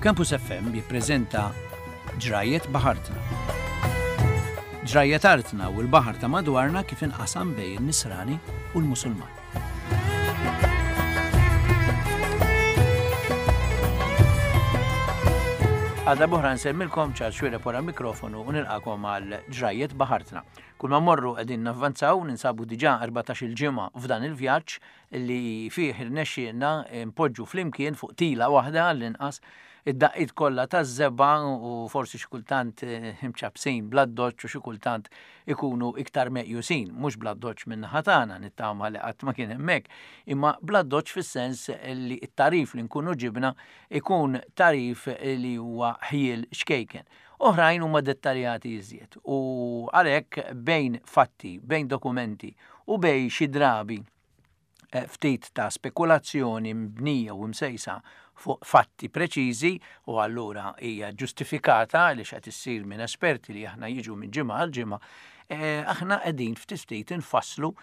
Campus FM jippreżenta Ġrajjet Baħartna. Ġrajjet artna u l-baħar ta' madwarna kif inqasam bejn in-Nisrani u l-Musulman. Għadha buħra nsemmilkom ċar xwireb wara mikrofonu u nilqakom għal ġrajjet baħartna. Kull ma morru qegħdin navvanzaw, ninsabu diġà 14 il-ġimgħa f'dan il-vjaġġ li fih irnexxielna npoġġu flimkien fuq tila waħda għall-inqas id-daqqiet kollha taż-żebgħa u forsi xi kultant imċappsin bl-addoċċ u xi kultant ikunu iktar meqjusin, mhux bl-addoċċ min-naħa tagħna, nittama li qatt ma kien hemm hekk, imma bl-addoċċ fis-sens li t-tagħrif li nkunu ġibna ikun tagħrif li huwa ħjiel ċkejken. Oħrajn huma dettaljati iżjed u għalhekk bejn fatti, bejn dokumenti u bejn xi drabi eh, ftit ta' spekulazzjoni mbnija u msejsa fuq fatti preċiżi u allura hija ġustifikata għaliex qed issir minn esperti li aħna jiġu minn ġimgħa għal ġimgħa, eh, aħna qegħdin ftit ftit infasslu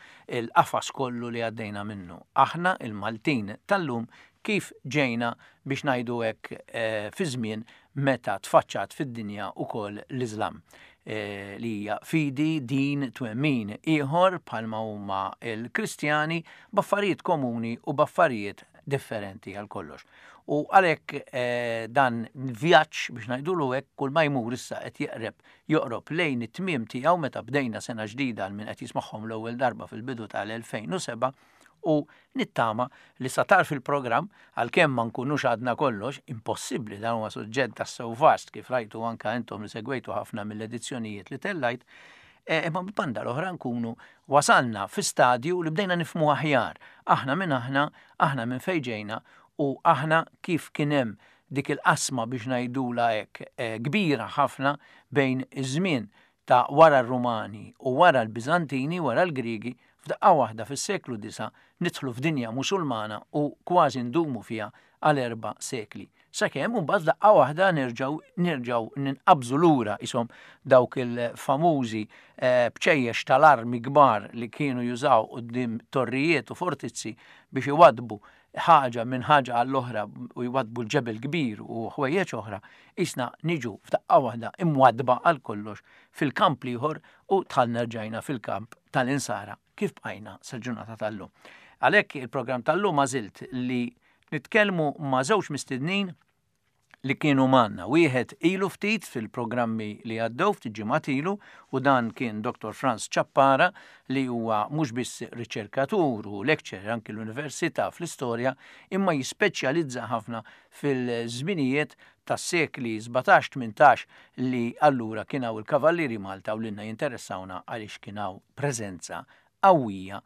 l-qafas kollu li għaddejna minnu. Aħna il-Maltin tal-lum kif ġejna biex ngħidu hekk eh, fi żmien meta tfaċċat fid-dinja wkoll l-Iżlam, li hija fidi, din, twemmin ieħor bħalma huma l-Kristjani b'affarijiet komuni u b'affarijiet differenti għal kollox. U għalhekk dan il-vjaġġ biex ngħidulu hekk kull ma jmur issa qed jeqreb joqrob lejn it-tmiem tiegħu meta bdejna sena ġdida għal min qed jismagħhom l-ewwel darba fil-bidu tal-2007 u nittama li sa tarf il-programm, għalkemm ma nkunux għadna kollox, impossibbli dan huwa suġġett tassew vast kif rajtu anke intom li segwejtu ħafna mill-edizzjonijiet li tellajt, e, imma mill-banda l-oħra nkunu wasalna fi stadju li bdejna nifhmu aħjar aħna min aħna, aħna minn fejn ġejna u aħna kif kien hemm dik il-qasma biex ngħidulha hekk e, kbira ħafna bejn iż-żmien ta' wara r-Rumani u wara l-Biżantini, wara l-Griegi, f'daqqa waħda fis-seklu disa' nidħlu f'dinja Musulmana u kważi ndumu fiha għal erba' sekli. Sakemm imbagħad f'daqqa waħda nerġgħu nerġgħu ninqabżu lura qishom dawk il-famużi bċejjex tal-armi kbar li kienu jużaw quddiem torrijiet u fortizzi biex iwaddbu ħaġa minn ħaġa għall-oħra u jwaddbu l-ġebel kbir u ħwejjeġ oħra, qisna niġu f'daqqa waħda imwaddba għal kollox fil-kamp l-ieħor u dħalna rġajna fil-kamp tal-insara kif bqajna sal-ġurnata tal-lum. Għalhekk il-programm tal-lum għażilt li nitkellmu ma' żewġ mistednin li kienu magħna. Wieħed ilu ftit fil-programmi li għaddew ftit ġimgħat ilu u dan kien Dr. Franz Ciappara li huwa mhux biss riċerkatur u lecturer anki l-Università fl-istorja imma jispeċjalizza ħafna fil-żminijiet tas-sekli 17-18 li allura kien hawn il-Kavallieri Malta u lilna jinteressawna għaliex kien hawn preżenza qawwija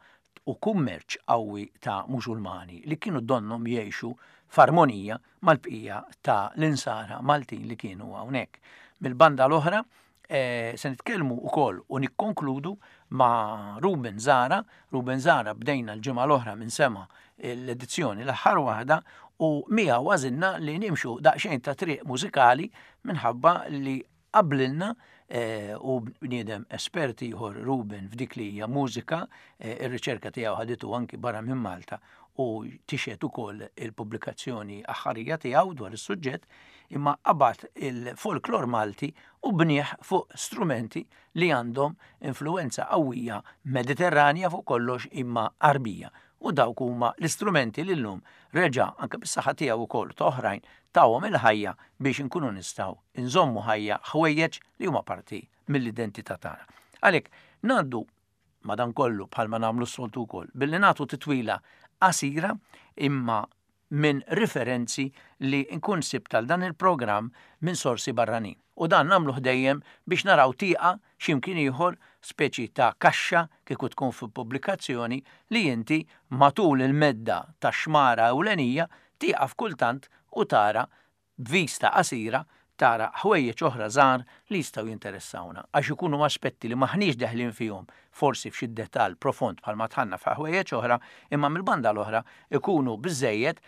u kummerċ qawwi ta' Musulmani li kienu donnhom jgħixu f'armonija mal-bqija ta' l-insara Maltin li kienu hawnhekk. Mill-banda l-oħra, eh, se nitkellmu wkoll u nikkonkludu ma' Ruben Zara. Ruben Zara bdejna l-ġimgħa l-oħra minn sema l-edizzjoni l-aħħar waħda u miegħu għażilna li nimxu daqsxejn ta' triq mużikali minħabba li Qablilna u bniedem espert ieħor Ruben f'dik li hija mużika, ir-riċerka tiegħu ħaditu anki barra minn Malta u tixhed ukoll il-pubblikazzjoni aħħarija tiegħu dwar is-suġġett, imma qabad il-folklor Malti u bnieh fuq strumenti li għandhom influwenza qawwija Mediterranja fuq kollox imma Għarbija. U dawk huma l-istrumenti li llum reġa' anke bis-saħħa tiegħu wkoll u ta' oħrajn tawhom il-ħajja biex inkunu nistgħu nżommu ħajja ħwejjeġ li huma parti mill-identità tagħna. Għalhekk ngħaddu madankollu bħalma nagħmlu s-soltu wkoll billi nagħtu titwila qasira imma minn riferenzi li nkun sibt għal dan il-programm minn sorsi barranin. U dan nagħmluh dejjem biex naraw tieqa x'imkien ieħor, speċi ta' kaxxa kieku tkun fi pubblikazzjoni li inti matul il-medda tax-xmara ewlenija tieqaf kultant u tara b'vista qasira tara ħwejjeġ oħra żgħar li jistgħu jinteressawna għax ikunu aspetti li m'aħniex deħlin fihom forsi f'xi dettall profond bħalma dħalna f'ħwejjeġ oħra imma mill-banda l-oħra ikunu biżżejjed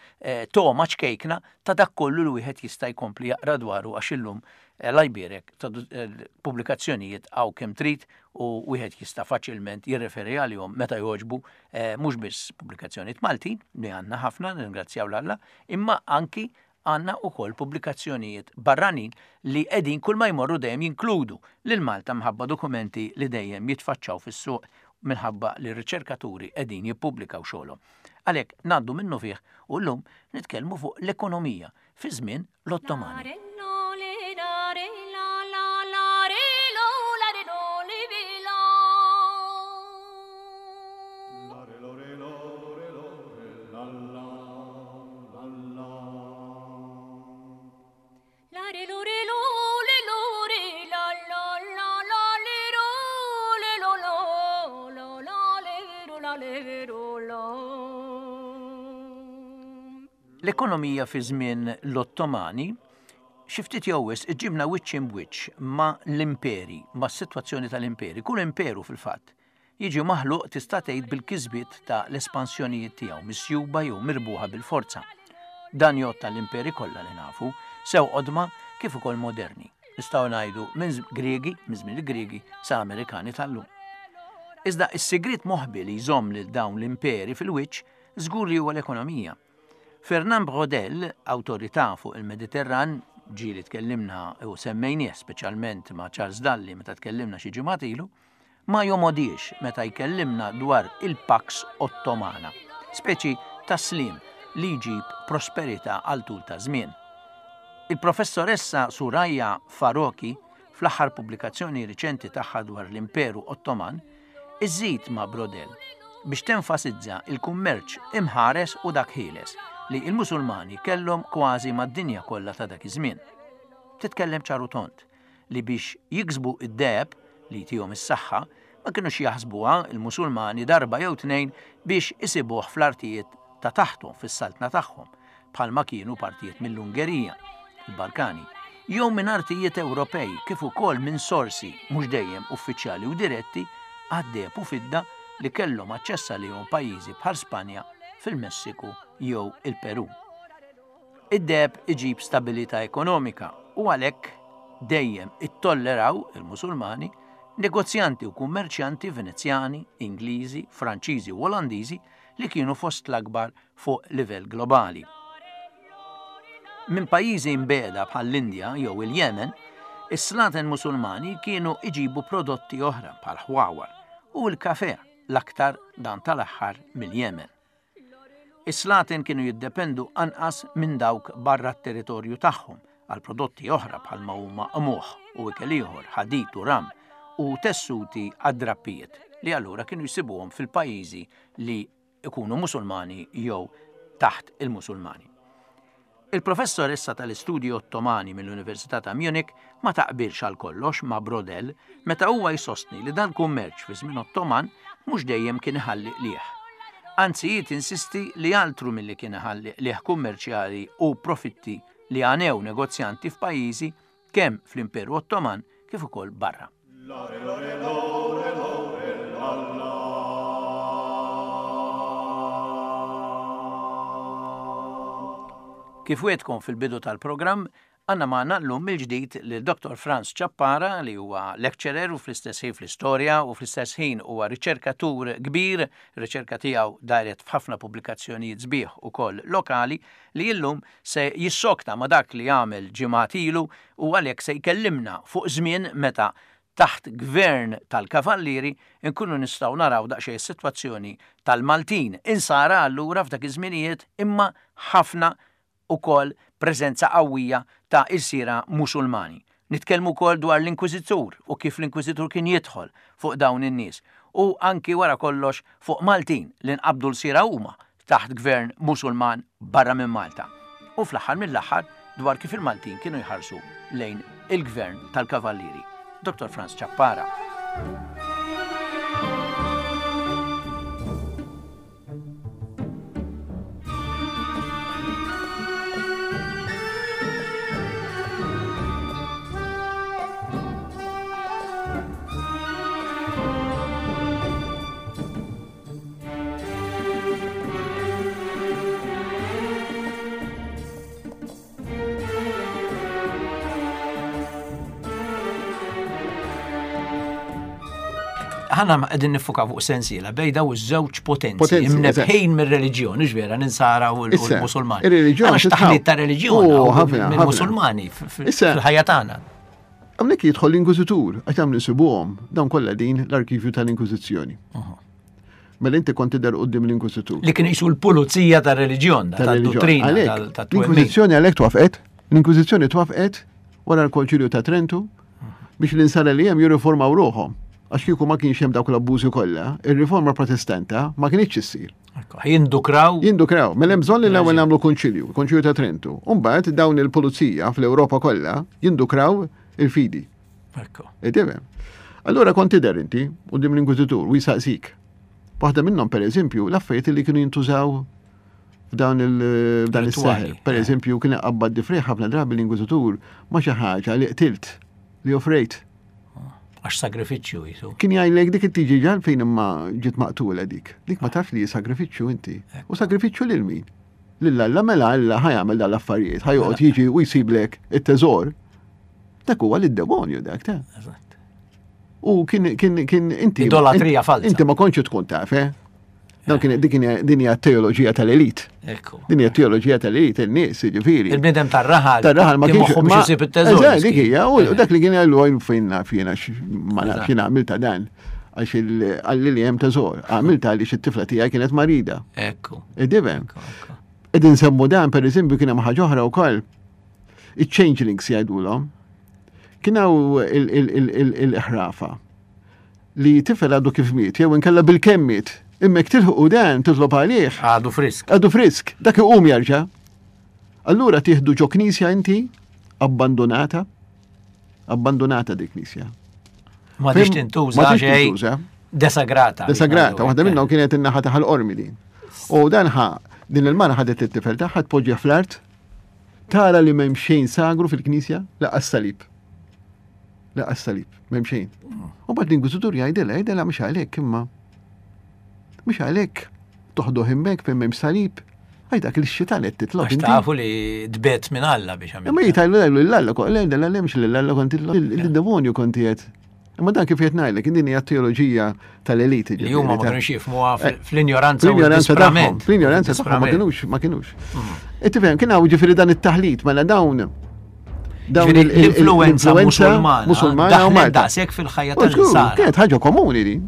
togħma ċkejkna ta' dak kollu li wieħed jista' jkompli jaqra dwaru għax illum Alla jbierek pubblikazzjonijiet hawn kemm trid u wieħed jista' faċilment jirreferi għalihom meta jogħġbu mhux biss pubblikazzjonijiet Maltin li għandna ħafna nirringrazzjaw 'l Alla imma anki għandna wkoll pubblikazzjonijiet barranin li qegħdin kull ma jmorru dejjem jinkludu lil Malta minħabba dokumenti li dejjem jitfaċċaw fis-suq minħabba li r-riċerkaturi qegħdin jippubblikaw xogħolhom. Għalhekk ngħaddu minnufih u llum nitkellmu fuq l-ekonomija fi żmien l-Ottomani. L-ekonomija fi żmien l-Ottomani xi ftit jew wisq iġġibna wiċċ imb'wiċċ ma' l-imperi, mas-sitwazzjoni tal-imperi. Kull imperu fil-fatt jiġi maħluq tista' tgħid bil-kisbiet ta' l-espansjonijiet tiegħu misjuba jew mirbuħa bil-forza. Dan jgħodd għall-imperi kollha li nafu, sew qodma kif ukoll moderni. Nistgħu ngħidu minn Griegi, minn żmien il-Griegi sa Amerikani tal-lum. Iżda s-sigriet moħbi li jżomm lil dawn l-imperi fil-wiċċ żgur li huwa l-ekonomija. Fernand Braudel, awtorità fuq il-Mediterran, ġieli tkellimna u semmejnieh speċjalment ma' Charles Dalli meta tkellimna xi ġimgħat ilu, ma jomodiex meta jkellimna dwar il-Pax Ottomana, speċi ta' sliem li jġib prosperità għal tul ta' żmien. Il-Professoressa Suraya Faroqhi, fl-aħħar pubblikazzjoni riċenti tagħha dwar l-Imperu Ottoman, iżżid ma' Braudel biex tenfasizza l-kummerċ imħares u dak ħieles li l-Musulmani kellhom kważi mad-dinja kollha ta' dak iż-żmien. Titkellem ċar u tond li biex jiksbu d-deheb li jtihom is-saħħa ma kinux jaħsbuha l-Musulmani darba jew tnejn biex isibuh fl-artijiet ta' taħthom fis-saltna tagħhom, bħalma kienu partijiet mill-Ungerija, il-Balkani, jew minn artijiet Ewropej kif ukoll minn sorsi, mhux dejjem uffiċjali u diretti, għad-deheb u fidda li kellhom aċċess għalihom pajjiżi bħal Spanja, fil-Messiku jew il-Perù. Id-deheb iġib stabilità ekonomika u għalhekk dejjem ittolleraw il-Musulmani negozjanti u kummerċjanti Venezjani, Ingliżi, Franċiżi u Olandiżi li kienu fost l-akbar fuq livell globali. Minn pajjiżi mbiegħda bħall-Indja jew il-Jemen, is-slaten Musulmani kienu iġibu prodotti oħra bħal ħwawar u l-kafè, l-aktar dan tal-aħħar mill-Jemen. Is-slaten kienu jiddependu anqas minn dawk barra t-territorju tagħhom għal prodotti oħra bħalma huma qmuħ u ikel ieħor, ħadid u ram, u tessuti għad-drappijiet li allura kienu jsibuhom fil-pajjiżi li jkunu Musulmani jew taħt il-Musulmani. Il-professoressa tal-Istudji Ottomani mill-Università ta' Munich ma taqbilx għal kollox ma' Braudel meta huwa jsostni li dal-kummerċ fi żmien Ottoman mhux dejjem kien iħalli qligħ. Anzi hi tinsisti li altru milli kien iħalli qligħ kummerċjali u profitti li għanew negozjanti f'pajjiżi kemm fl-Imperu Ottoman kif ukoll barra. Kif wegħdtkom fil-bidu tal-programm, għandna magħna llum mill-ġdid lil Dottor Frans Ciappara li huwa lecturer u fl-istess ħin fl-istorja u fl-istess ħin huwa riċerkatur kbir, riċerka tiegħu daret f'ħafna pubblikazzjonijiet sbieħ ukoll lokali li illum se jissokta ma' dak li għamel ġimgħat ilu u għalhekk se jkellimna fuq żmien meta taħt gvern tal-Kavallieri nkunu nistgħu naraw daqsxejn is-sitwazzjoni tal-Maltin insara allura f'dak iż-żminijiet imma ħafna ukoll preżenza qawwija ta' ilsiera Musulmani. Nitkellmu wkoll dwar l-Inkwiżitur u kif l-Inkwiżitur kien jidħol fuq dawn in-nies u anki wara kollox fuq Maltin li nqabdu lsiera huma taħt gvern Musulman barra minn Malta u fl-aħħar mill-aħħar dwar kif il-Maltin kienu jħarsu lejn il-gvern tal-Kavallieri. Dottor Frans Ciappara. Ħana qegħdin nifuka fuq sensiela bejn daw iż-żewġ potenzi imnebħin mir-reliġjon, vera l-insara u l-Musulmani. Ir-reliġjon. Għax taħlit ta' reliġjon mill-Musulmani fil-ħajja tagħna. Hawnhekk jidħol l-Inkwiżitur, għax dawn insibuhom, dawn kollha din l-arkivju tal-Inkwiżizzjoni. Mela inti kont tidher quddiem l-Inkwiżitur. Li kien jisu l-pulizija tar-reliġjon, tad-dottrina, tat-twemmin. L-Inkwiżizzjoni għalhekk twafqet, l-Inkwiżizzjoni twafqet wara l-Konċilju ta' Trentu biex l-insara li hemm jirriformaw ruħhom. Għax kieku ma kienx hemm dawk l-abbużi kollha, ir-riforma protestanta ma kienx issir. Jindukraw. Jindukraw. Mela hemm bżonn li l-ewwel nagħmlu konċilju, konċilju ta' Trentu. U mbagħad dawn il-pulizija fl-Ewropa kollha jindukraw il-fidi. Ekku. Tifhem. Allura kont tidher inti quddiem l-inkwiżitur u jsaqsik. Waħda minnhom pereżempju l-affarijiet li kienu jintużaw f'dan il-dan is-seħer. Per eżempju, kien iqabbad difriħ ħafna drabi l-inkwiżitur ma' xi ħaġa li qtilt, li offrejt. Għax sagrifiċċju jisu. Kien jgħidlek dik it-tiġiġa fejn imma ġiet maqtula dik. Dik ma tafx li sagrifiċċju inti. U sagrifiċċju lil min? Lil Alla mela Alla ħajamel dal-affarijiet, ħajoqgħod jiġi u jsiblek it-teżor. Dak huwa lid-demonju dak ta'. Eżatt. U kien kien kien inti. Idolatrija falsa. Inti ma kontx tkun taf, eh? Dan kien dik din hija teoloġija tal-elit. Ekku. Din hija teoloġija tal-elit, in-nies, jiġifieri. Il-bniedem tar-raħal. Tar-raħal ma kienx moħħu biex isib it-teżor. Eżatt, dik hija, u dak li kien jgħidu għajn fejn naf jiena ma nafx jiena għamilta dan għax għalli li hemm teżor. Għamilta għaliex it-tifla tiegħi kienet marida. Ekku. Idivem. Qegħdin nsemmu dan pereżempju kien hemm ħaġa oħra wkoll. Iċ-changelings jgħidulhom. Kien hawn il-ħrafa li tifel għadu kif miet, jew inkella bil-kemm miet. Imma jekk tilħqu dan titlob għalih. Għadu frisk. Għadu frisk, dak iqum jerġa'. Allura tieħdu ġo knisja inti abbandonata, abbandonata dik knisja. Ma tix tintuża xejn. Desagrata. Desagrata, waħda minnhom kienet in-naħa ta' ħal-qormi din. U dan ħa din il-mara ħadet it-tifel tagħha tpoġġih fl-art, tara li m'hemm xejn sagru fil-knisja laqas salib. Laqas salib, m'hemm xejn. U bad l-inkwiżitur jgħidilha, jgħidilha mhux għalhekk imma. Mhux għalhekk toħduh hemmhekk fejn m'hemm salib. Għaj dak li xitan qed titlob. Għax tafu li tbet minn Alla biex għamil. Imma jitajlu jgħidu l-Alla, l-Alla mhux l-Alla kont il-demonju kont qed. Imma dan kif qed ngħidlek, din hija teoloġija tal-eliti. Li huma ma kinux jifhmuha eh, fl-injoranza fl-injoranza tagħhom. Fl-injoranza tagħhom ma kinux, ma kinux. Mm. E tifhem, kien hawn ġifieri dan it-taħlit mela dawn dawn l-influenza musulmana u Malta. Daqshekk fil-ħajja tal-insara. Kienet ħaġa komuni din.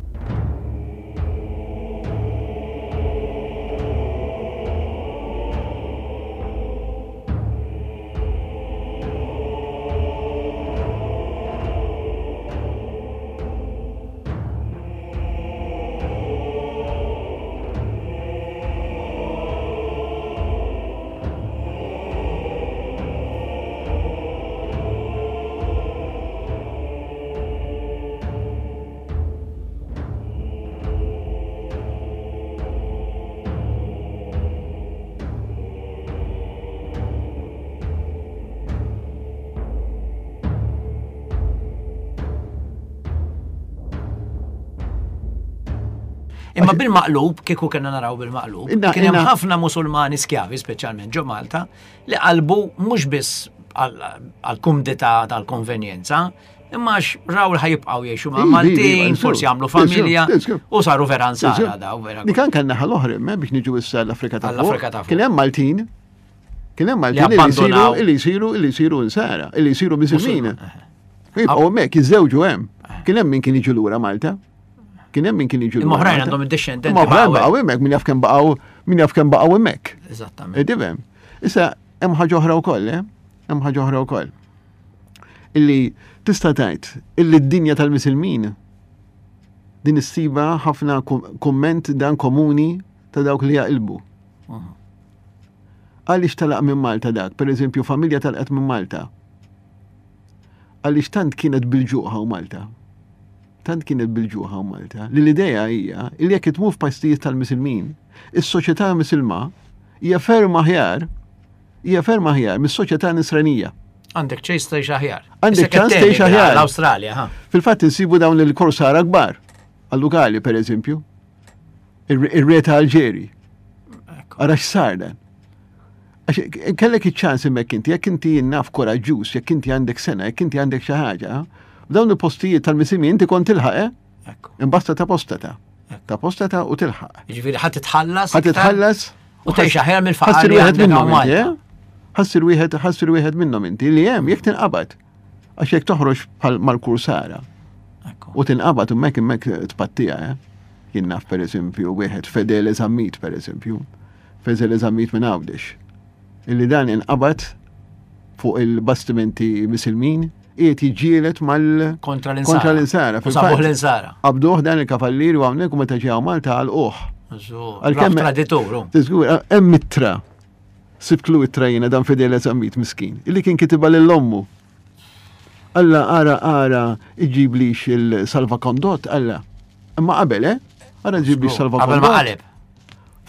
Imma bil-maqlub, kieku kena naraw bil-maqlub, kien hemm ħafna musulmani skjavi, speċjalment ġo Malta, li qalbu mhux biss għal-kumdità tal-konvenjenza, imma għax raw li ħajibqgħu jgħixu ma' Maltin, forsi jagħmlu familja, u saru vera nsara daw vera. Dik anke naħa l-oħra, biex niġu issa l-Afrika ta' fuq. Kien hemm Maltin Kien hemm Maltin li jsiru li jsiru li jsiru insara, li jsiru miżilmin. Jibqgħu hemmhekk jiżżewġu hemm. Kien hemm min kien jiġu lura Malta. Kien hemm min kien jiġu lura. Oħrajn għandhom id-dixxendenti. Imma oħrajn baqgħu hemmhekk min jaf kemm baqgħu min jaf kemm baqgħu hemmhekk. Eżattament. Tifhem. Issa hemm ħaġa oħra wkoll, eh? Hemm ħaġa oħra wkoll. Illi tista' tgħid illi d-dinja tal-misilmin din issiba ħafna kumment dan komuni ta' dawk li jaqilbu. Għaliex telaq minn Malta dak? Per eżempju, familja telqet minn Malta. Għaliex tant kienet bil-ġuħ hawn Malta. Tant kienet bil-ġuħ hawn Malta. Li l-idea hija li jekk itmur f'pajstijiet tal-Misilmin, is-soċjetà Misilma hija ferm aħjar hija ferm aħjar mis-soċjetà Nisranija. Għandek ċejs tgħix aħjar. Għandek ċans tgħix aħjar. L-Awstralja, ha. Fil-fatt insibu dawn il-korsara kbar. Għal-Lugali, per eżempju. Ir-re ta' Alġeri. Ara x'sar dan. Għax kellek iċ-ċans hemmhekk inti, jekk inti naf koraġġuż, jekk inti għandek sena, jekk inti għandek xi ħaġa, f'dawn il-postijiet tal-misimi inti kont tilħaq, eh? Imbasta ta' postata. Ta' postata u tilħaq. Jiġifieri ħadd titħallas. Ħadd titħallas. U tgħix aħjar mill-faqar li wieħed minnhom inti, eh? Ħassir wieħed ħassir wieħed minnhom inti li hemm jekk tinqabad. Għax jekk toħroġ bħal mal-kursara. U tinqabad hemmhekk hemmhekk tpattija, eh? Jien naf pereżempju wieħed Fedele Zammit pereżempju. Fedele Zammit minn Għawdex. Illi dan inqabad fuq il-bastimenti misilmin qiegħed jiġġieled mal kontra l-insara. Kontra l-insara. Sabuh l-insara. Qabduh dan il-kavallier u hawnhekk u meta ġew Malta għalquh. Għalkemm traditur. Tiżgur, hemm ittra. Sibtlu ittra jiena dan Fidele Zammit miskin, illi kien kitibha lil ommu. Alla ara ara iġiblix il-salvakondott, alla. Imma qabel, eh? Ara ġiblix salvakondott. Qabel ma qaleb.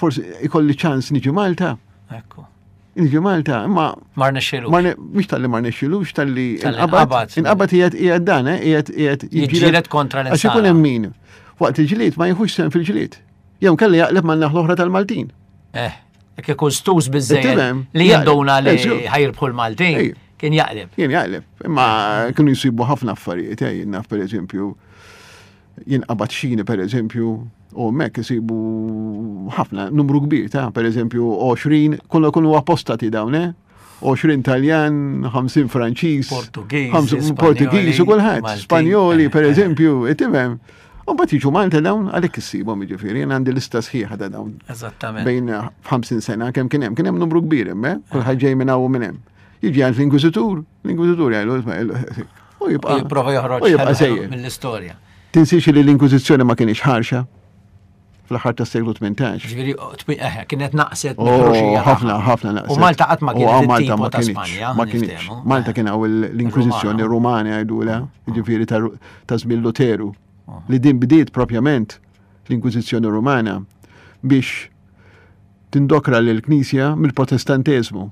Forsi ikolli ċans niġi Malta. Ekku. Niġi Malta, imma. Ma rnexxilux. Mhux talli ma rnexxilux, talli inqabad. Inqabad qiegħed qiegħed dan, eh? Qiegħed qiegħed jiġġieled kontra l Għax ikun hemm min waqt il-ġlied ma jieħux sehem fil-ġlied. Jew kelli jaqleb man-naħa l-oħra tal-Maltin. Eh, jekk ikun stus biżejjed li jinduna li ħajrbħu l-Maltin, kien jaqleb. Kien jaqleb, imma kienu jsibu ħafna affarijiet, eh, jien naf pereżempju jinqabad xini per eżempju, u mek isibu ħafna, numru kbir ta' per eżempju 20, kollha kunu apostati dawn, eh? 20 Taljan, 50 Franċiż, Portugiż, Portugiż u kulħadd, Spanjoli per eh, eh. eżempju, tifhem. U mbagħad jiġu Malta dawn għalhekk issibhom jiġifieri, jien għandi lista sħiħa ta' dawn. Eżattament. Bejn 50 sena kemm kien hemm, kien hemm numru kbir hemm, eh? kulħadd ġej minn hawn u minn hemm. Jiġi għand l-Inkwiżitur, l-Inkwiżitur jgħidu, U jibqa' jipprova joħroġ jibqa' sejjer mill-istorja. Tinsiex li l-Inkwiżizzjoni ma kienx ħarxa fl-aħħar tas-seklu 18. Ġifieri eh, kienet naqset oh, ħafna ħafna naqset. U Malta qatt ma kienet Malta ma ta' Spanja. Ma kienx. Malta kien hawn l-Inkwiżizzjoni Rumana jgħidulha, mm. ġifieri ta' żmien Luteru. Ah. Li din bdiet propjament l-Inkwiżizzjoni Rumana biex tindokra lill-Knisja mill-Protestanteżmu.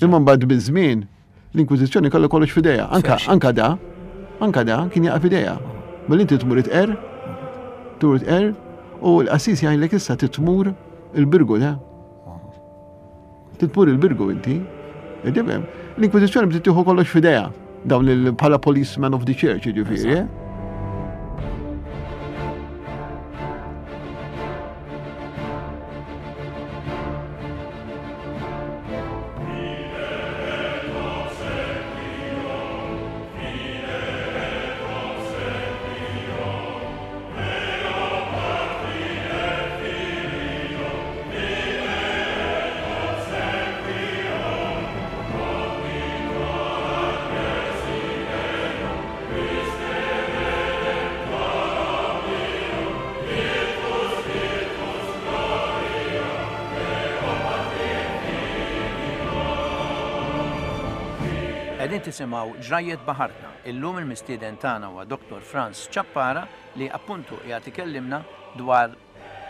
Imma mbagħad biż-żmien L-Inkwiżizzjoni kellha kollox f'idejha. Anka, anka da, anka da kien jaqa' f'idejha. Mela inti tmur itqer, tmur itqer, u l-qassis jgħidlek issa titmur il-birgu da. Titmur il-birgu inti. Tifhem? L-Inkwiżizzjoni bdiet tieħu kollox f'idejha dawn il bħala policeman of the church, jiġifieri. Eh? Qegħdin tisimgħu Ġrajjiet Baħartna. Illum il-mistieden tagħna huwa Dottor Frans Ciappara li appuntu qiegħed ikellimna dwar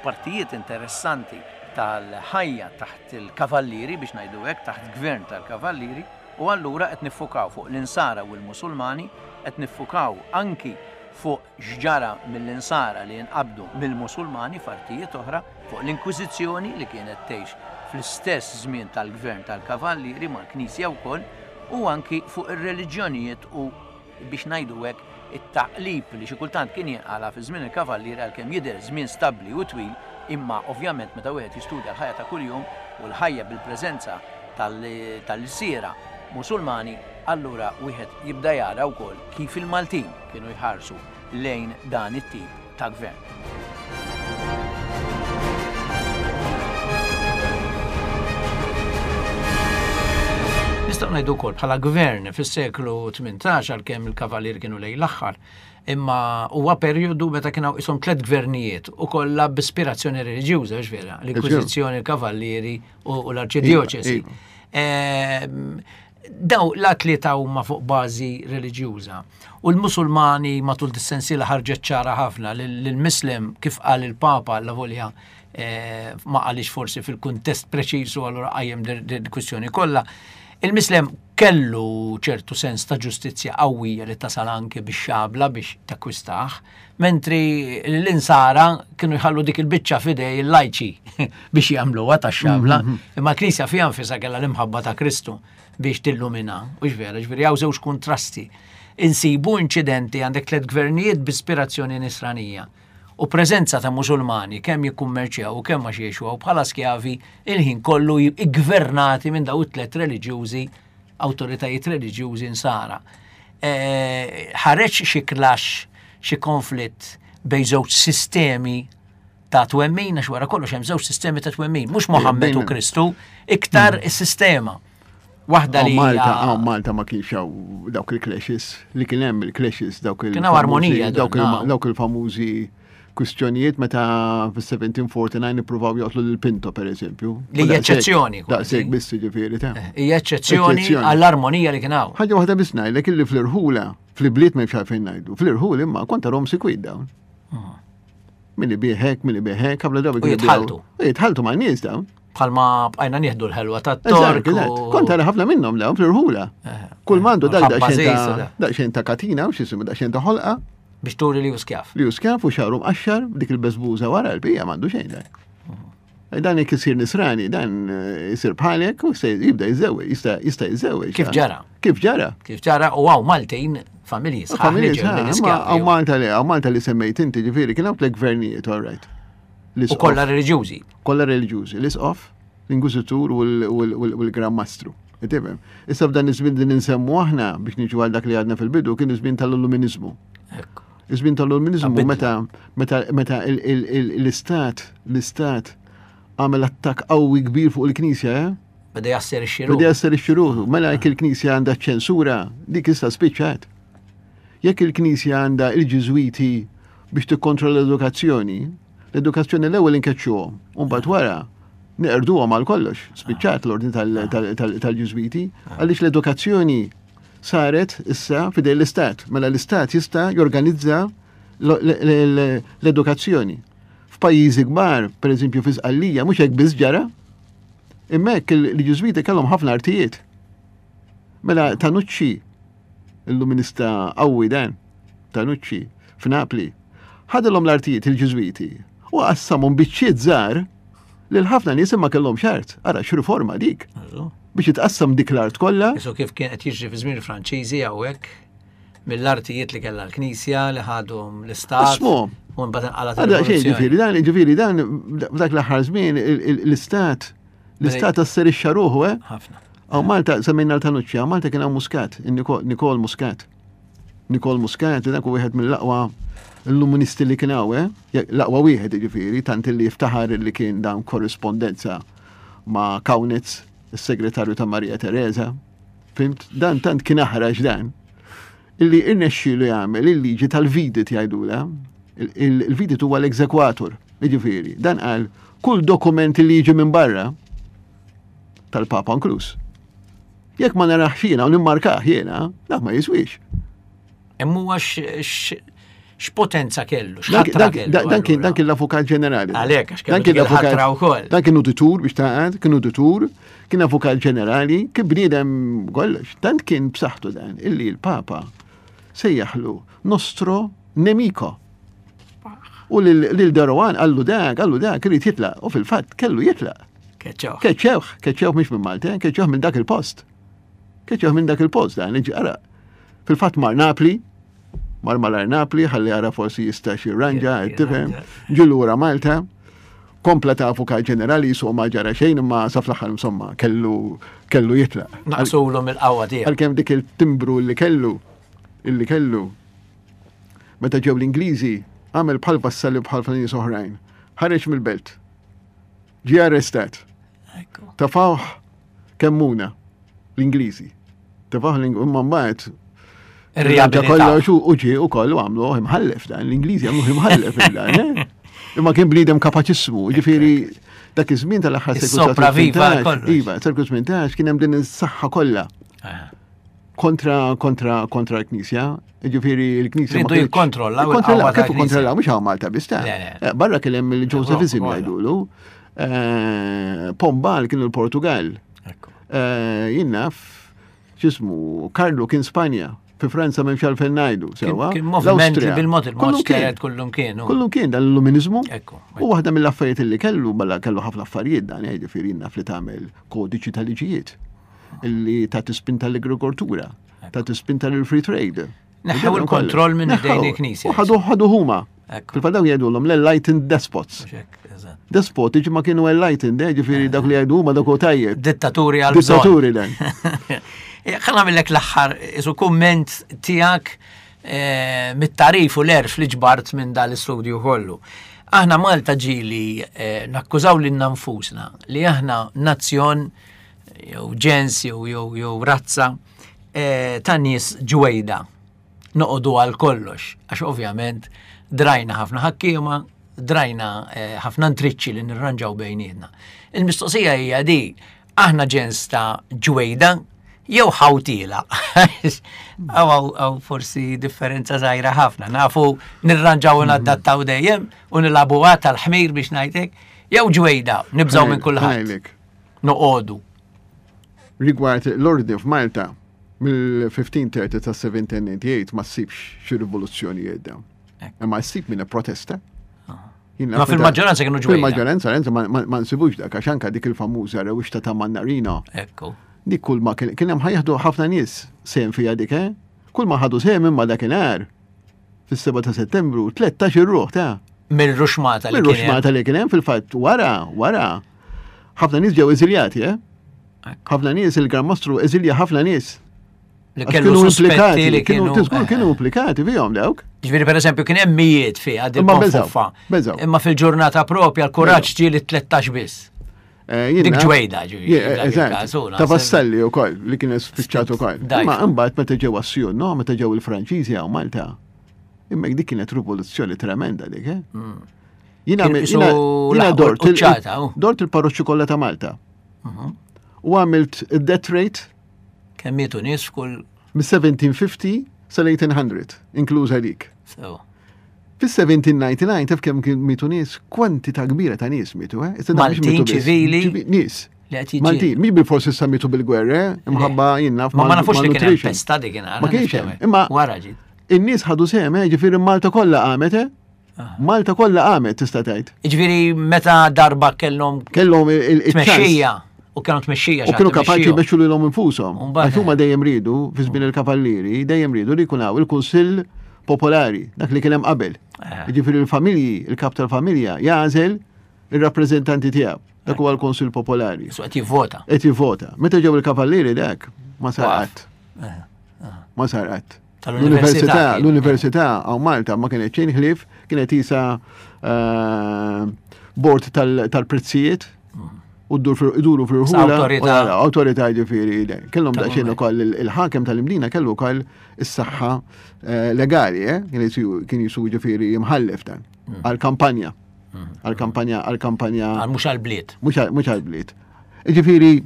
partijiet interessanti tal-ħajja taħt il-Kavallieri, biex ngħidu hekk, taħt gvern tal-Kavallieri, u allura qed niffukaw fuq l-Insara u l-Musulmani, qed niffukaw anki fuq x'ġara mill-Insara li nqabdu mill-Musulmani f'artijiet oħra, fuq l-Inkwiżizzjoni li kienet tgħix fl-istess żmien tal-gvern tal-Kavallieri mal-Knisja wkoll, u anki fuq ir-reliġjonijiet u, biex ngħidu hekk, it-taqlib li xi kultant kien jinqala' fi żmien il-Kavallieri għalkemm jidher żmien stabbli u twil, imma ovvjament meta wieħed jistudja l-ħajja ta' kuljum u l-ħajja bil-preżenza tal-ilsiera Musulmani, allura wieħed jibda jara wkoll kif il-Maltin kienu jħarsu lejn dan it-tip ta' gvern. Nistgħu ngħidu wkoll bħala gvern fis-seklu 18 għalkemm il-Kavallieri kienu lejn l-aħħar, imma huwa perjodu meta kien hawn qishom tlett gvernijiet u kollha b'ispirazzjoni reliġjuża, hux vera? L-Inkwiżizzjoni, il-Kavallieri u l-Arċidjoċesi. Iva, iva. Ehm, daw la tlieta huma fuq bażi reliġjuża. U l-Musulmani matul dis-sensiela ħarġet ċara ħafna lill-Mislem kif qal il-Papa la volja eh, ma qalix forsi fil-kuntest preċiż u allura qajjem din kwistjoni kollha. Il-Mislem kellu ċertu sens ta' ġustizzja qawwija li tasal anke biex xabla biex takkwistaħ, mentri l-insara kienu jħallu dik il-biċċa fidej il-lajċi biex jagħmluha tax-xabla, mhm. imma l-Knisja fiha nfisha kellha l-imħabba ta' Kristu biex tillumina, u vera, ġifieri hawn żewġ kontrasti. insibu inċidenti għandek tlet gvernijiet b'ispirazzjoni nisranija u preżenza ta' Musulmani kemm jikkummerċjaw u kemm għax jgħixu hawn bħala skjavi il-ħin kollu iggvernati minn daw it-tlet reliġjużi, awtoritajiet reliġjużi nsara. Eh, ħareġ xi clash, xi konflitt bejn żewġ sistemi ta' twemmin, għax wara kollox hemm żewġ sistemi ta' twemmin, mhux Mohammed u Kristu, iktar hmm. is-sistema. Waħda li Malta, għaw Malta ma kienx hawn dawk il-clashes, li kien hemm il-clashes dawk il Kien hawn armonija dawk il-famużi kwistjonijiet meta fis-1749 ippruvaw joqtlu lil Pinto per eżempju. Li hija eċċezzjoni. Daqshekk biss ġifieri ta' eh, Hija eċċezzjoni għall-armonija li kien hawn. Ħaġa waħda biss ngħidlek illi fl-irħula, fl-ibliet m'hemmx għalfejn ngħidu, fl-irħul imma kont tarhom sikwit dawn. Ah. Min ibieħek, min ibieħek, ħafna drabi. U jitħaltu. Jitħaltu ma' nies dawn. Bħalma bqajna nieħdu l-ħelwa ta' tork. Kont tara ħafna minnhom dawn fl-irħula. Eh, Kull mandu dak daqsxejn ta' katina u x'isimu daqsxejn ta' ħolqa. Biex turi li skjaf. Li skjaf u xagħru mqaxxar dik il-beżbuża wara l-bija m'għandu xejn dak. Eh, dan jekk isir nisrani, dan eh, isir bħalek u se jibda jiżewweġ, jista' jista' jiżewweġ. Kif ġara? Kif ġara? Kif ġara u hawn Maltin familji sħaħ. Familji sħaħ, hawn Malta li hawn Malta li semmejt inti ġifieri kien hawn tliet gvernijiet, all right. U kollha reliġjużi. Kollha reliġjużi, l-isqof, l-inkwiżitur u l-Gran Mastru. Tifhem? Issa f'dan iż-żmien li ninsemmu aħna biex niġu għal dak li għadna fil-bidu kien iż-żmien tal-Illuminizmu. Iż-żmien tal-Illuminizmu meta meta meta l-istat l-istat għamel attakk qawwi kbir fuq il-Knisja, eh? Beda jasserixxi ruħu. Beda jasserixxi ruħu. Mela jekk il-Knisja għandha ċensura, dik issa spiċċat. Jekk il-Knisja għandha il-Ġiżwiti biex tikkontrolla l-edukazzjoni, l-edukazzjoni l-ewwel inkeċċuhom, u mbagħad wara neqerduhom għal kollox, spiċċat l-ordni tal-Ġiżwiti, għaliex l-edukazzjoni saret issa fidej l-istat. Mela l-istat jista' jorganizza l-edukazzjoni. F'pajjiżi kbar, per eżempju fi Sqallija, mhux hekk biss ġara, imma hekk il-Ġiżwiti kellhom ħafna artijiet. Mela Tanucci, il-luminista qawwi dan, Tanucci, f'Napli, ħadilhom l-artijiet il-Ġiżwiti u qassamhom biċċiet żgħar lil ħafna nies imma kellhom art. Ara x'riforma dik. Biex jitqassam dik l-art kollha. Isu kif kien qed jiġri fi żmien il-Franċiżi hawnhekk mill-artijiet li kellha l-Knisja li ħadhom l-Istat. Qasmuhom. U mbagħad inqalgħet Għada xejn ġifieri dan ġifieri dan f'dak l-aħħar żmien l-Istat l-Istat asserixxa ruħu, eh? Ħafna. Għaw Malta semmejna l-Tanucci, għaw Malta kien hawn Muscat, Nikol Muscat. Nikol Muscat, dak wieħed mill-aqwa l-luministi li kien hawn, eh? L-aqwa wieħed jiġifieri, tant li jiftaħar li kien dan korrispondenza ma' Kaunitz, is-segretarju ta' Maria Teresa. Fimt? Dan tant kien aħrax dan. Illi irnexxielu jagħmel il-liġi tal-vidit jgħidula. Il-vidit huwa l-exekwatur, jiġifieri. Dan qal kull dokument li jiġi minn barra tal-Papa inkluż. Jekk ma narax jiena u nimmarkah jiena, dak ma jiswix. Imma huwa x'potenza kellu, x'ħatra kellu. Dan kien dan kien l-avukat ġenerali. Għalhekk għax kellu kien l-avukat wkoll. Dan kien uditur biex taqgħad, kien uditur, kien avukat ġenerali, kien bniedem kollox. Tant kien b'saħħtu dan illi l-Papa sejjaħlu nostro nemico. U lil Darowan qallu dak, qallu dak, irid jitlaq. U fil-fatt kellu jitlaq. Keċċewh. Keċċewh, keċċewh mhux minn Malta, eh, keċċewh minn dak il-post. Keċċewh minn dak il-post dan, ara. Fil-fatt mar Napli, mar malar Napli, ħalli ara forsi jista' xi ranġa, tifhem, ġi lura Malta, kompla ta' avukat ġenerali jisuq ma ġara xejn imma sa fl-aħħar insomma kellu kellu jitlaq. Naqsulhom il-qawwa tiegħu. Għalkemm dik il-timbru li kellu, illi kellu, meta ġew l-Ingliżi, għamel bħal vassalli bħal nies oħrajn. Ħareġ mill-belt. Ġie arrestat. Tafawh kemmuna l-Ingliżi. Tafawh l-Ingliżi, mbagħad Irriabilità. Kollox u ġie u kollu għamlu imħallef dan, l-Ingliżi għamlu imħallef dan, eh? Imma kien bniedem kapaċissmu, ġifieri dak iż-żmien tal-aħħar seklu 18. Iva, seklu 18 kien hemm din is-saħħa kollha. Kontra kontra kontra l-Knisja, ġifieri l-Knisja. Ridu jikkontrollaw. Kontrollaw, kif kontrollaw, mhux hawn Malta biss ta' eh, Barra kien hemm il-Josephizm jgħidulu. Eh, Pombal kien il-Portugal. Eh, jien naf, x'ismu, Karlu kien Spanja. Fi Franza m'hemmx għalfejn ngħidu, sewwa. Kien moviment li bil-mod il-mod xteret kullum kienu. Kullum kien dan l-illuminizmu. U waħda mill-affarijiet li kellu, balla kellu ħafna affarijiet dan, jiġifieri naf li tagħmel kodiċi tal-liġijiet illi ta' tispinta l-agrikoltura. Ta' tispinta lil free trade. Neħħew il-kontroll minn idejn il-Knisja. U ħadu ħadu huma. Fil-fatt dawn jgħidulhom l-enlightened despots. Despoti ma kienu enlightened, eh, ġifieri dak li jgħidu huma dak u tajjeb. Dittaturi għal Dittaturi dan. Eh, ħa nagħmellek l-aħħar isu kumment tiegħek eh, mit-tarif u l-erf li ġbart minn dal-istudju kollu. Aħna Malta ġili nakkużaw lil nfusna li aħna nazzjon jew ġens jew jew jew razza ta' nies ġwejda noqogħdu għal kollox, għax ovvjament drajna ħafna ħakkiema, drajna eh, ħafna ntriċċi li nirranġaw bejnietna. Il-mistoqsija hija di, aħna ġens ta' ġwejda jew ħawtila. Għaw forsi differenza żgħira ħafna. Nafu nirranġaw u nadattaw dejjem u nilabu tal-ħmir biex ngħidlek, jew ġwejda, nibżgħu minn kulħadd. Noqogħdu. Rigward l-ordni f'Malta, mill-1530 ta' 1798 ma ssibx xi rivoluzzjonijiet dawn. Imma ssib minn protesta. Ma fil-maġġoranza kienu ġwejda. Fil-maġġoranza ma nsibux dak għax anka dik il-famuża rewixta ta' Mannarino. Ekku. Dik kull ma kien hemm ħajħdu ħafna nies sehem fiha dik, eh? Kull ma ħadu sehem imma dakinhar fis-7 ta' Settembru 13 ir-ruħ ta' Mill-ruxmata li kien. Mill-ruxmata li kien hemm fil-fatt wara, wara. Ħafna nies ġew eżiljati, eh? Ħafna nies il-Gran Mastru eżilja ħafna nies. Li kellu implikati li kienu tiżgur kienu eh. implikati fihom dawk. Ġifieri pereżempju kien hemm mijiet fiha din konfuffa. Imma fil-ġurnata propja l-kuraġġ ġie li 13 biss. Eh, Dik ġwejda ġifieri. Eh, ta' vassalli wkoll li kien spiċċat ukoll. Imma imbagħad meta ġew Assjun, no, meta ġew il-Franċiżi hawn Malta. Imma dik kienet rivoluzzjoni tremenda dik, eh? Mm. Jina dort dort il-parroċċi kollha ta' Malta. Mhm. U għamilt death rate. Kemm mietu nies f'kull. Mis-1750 sal-1800, inkluża dik. Fis-1799 taf kemm kien mietu nies, kwantità kbira ta' nies mietu, eh? Maltin ċivili. Nies. Maltin, mhix bil-forsi issa mietu bil-gwerra, eh? imħabba jien naf. Ma ma nafux li kien hemm pesta dik Ma kienx hemm. Imma wara ġiet. In-nies ħadu sehem, eh? ġifieri Malta kollha qamet, eh? Malta kollha qamet tista' tgħid. Jiġifieri meta darba kellhom kellhom il-tmexxija u kienu tmexxija. U kienu kapaċi jmexxu lilhom infushom. Għax huma dejjem riedu fi żmien il-kavallieri, dejjem riedu li jkun hawn il-Kunsill Popolari, dak li kien hemm qabel. Eh. Jiġifieri l-familji, il-kap tal-familja jagħżel ir-rappreżentanti tiegħu. Dak huwa l-Kunsill Popolari. Su qed jivvota. Qed jivvota. Meta ġew il-kavallieri dak ma sar qatt. Eh, eh. Ma sar qatt. Tal-università. L-università għaw Malta ma kienet xejn ħlief, kienet isa eh, bord tal-prezzijiet u iduru fil-ħula. Autorità ġifieri. Kellhom daqsxejn ukoll il-ħakem tal-Imdina kellu wkoll is-saħħa eh, legali, eh, kien jisu ġifieri jimħallef dan mm. għal-kampanja. Mm. Għal-kampanja, għal-kampanja. Għal mhux għal-bliet. Mhux għal-bliet. Ġifieri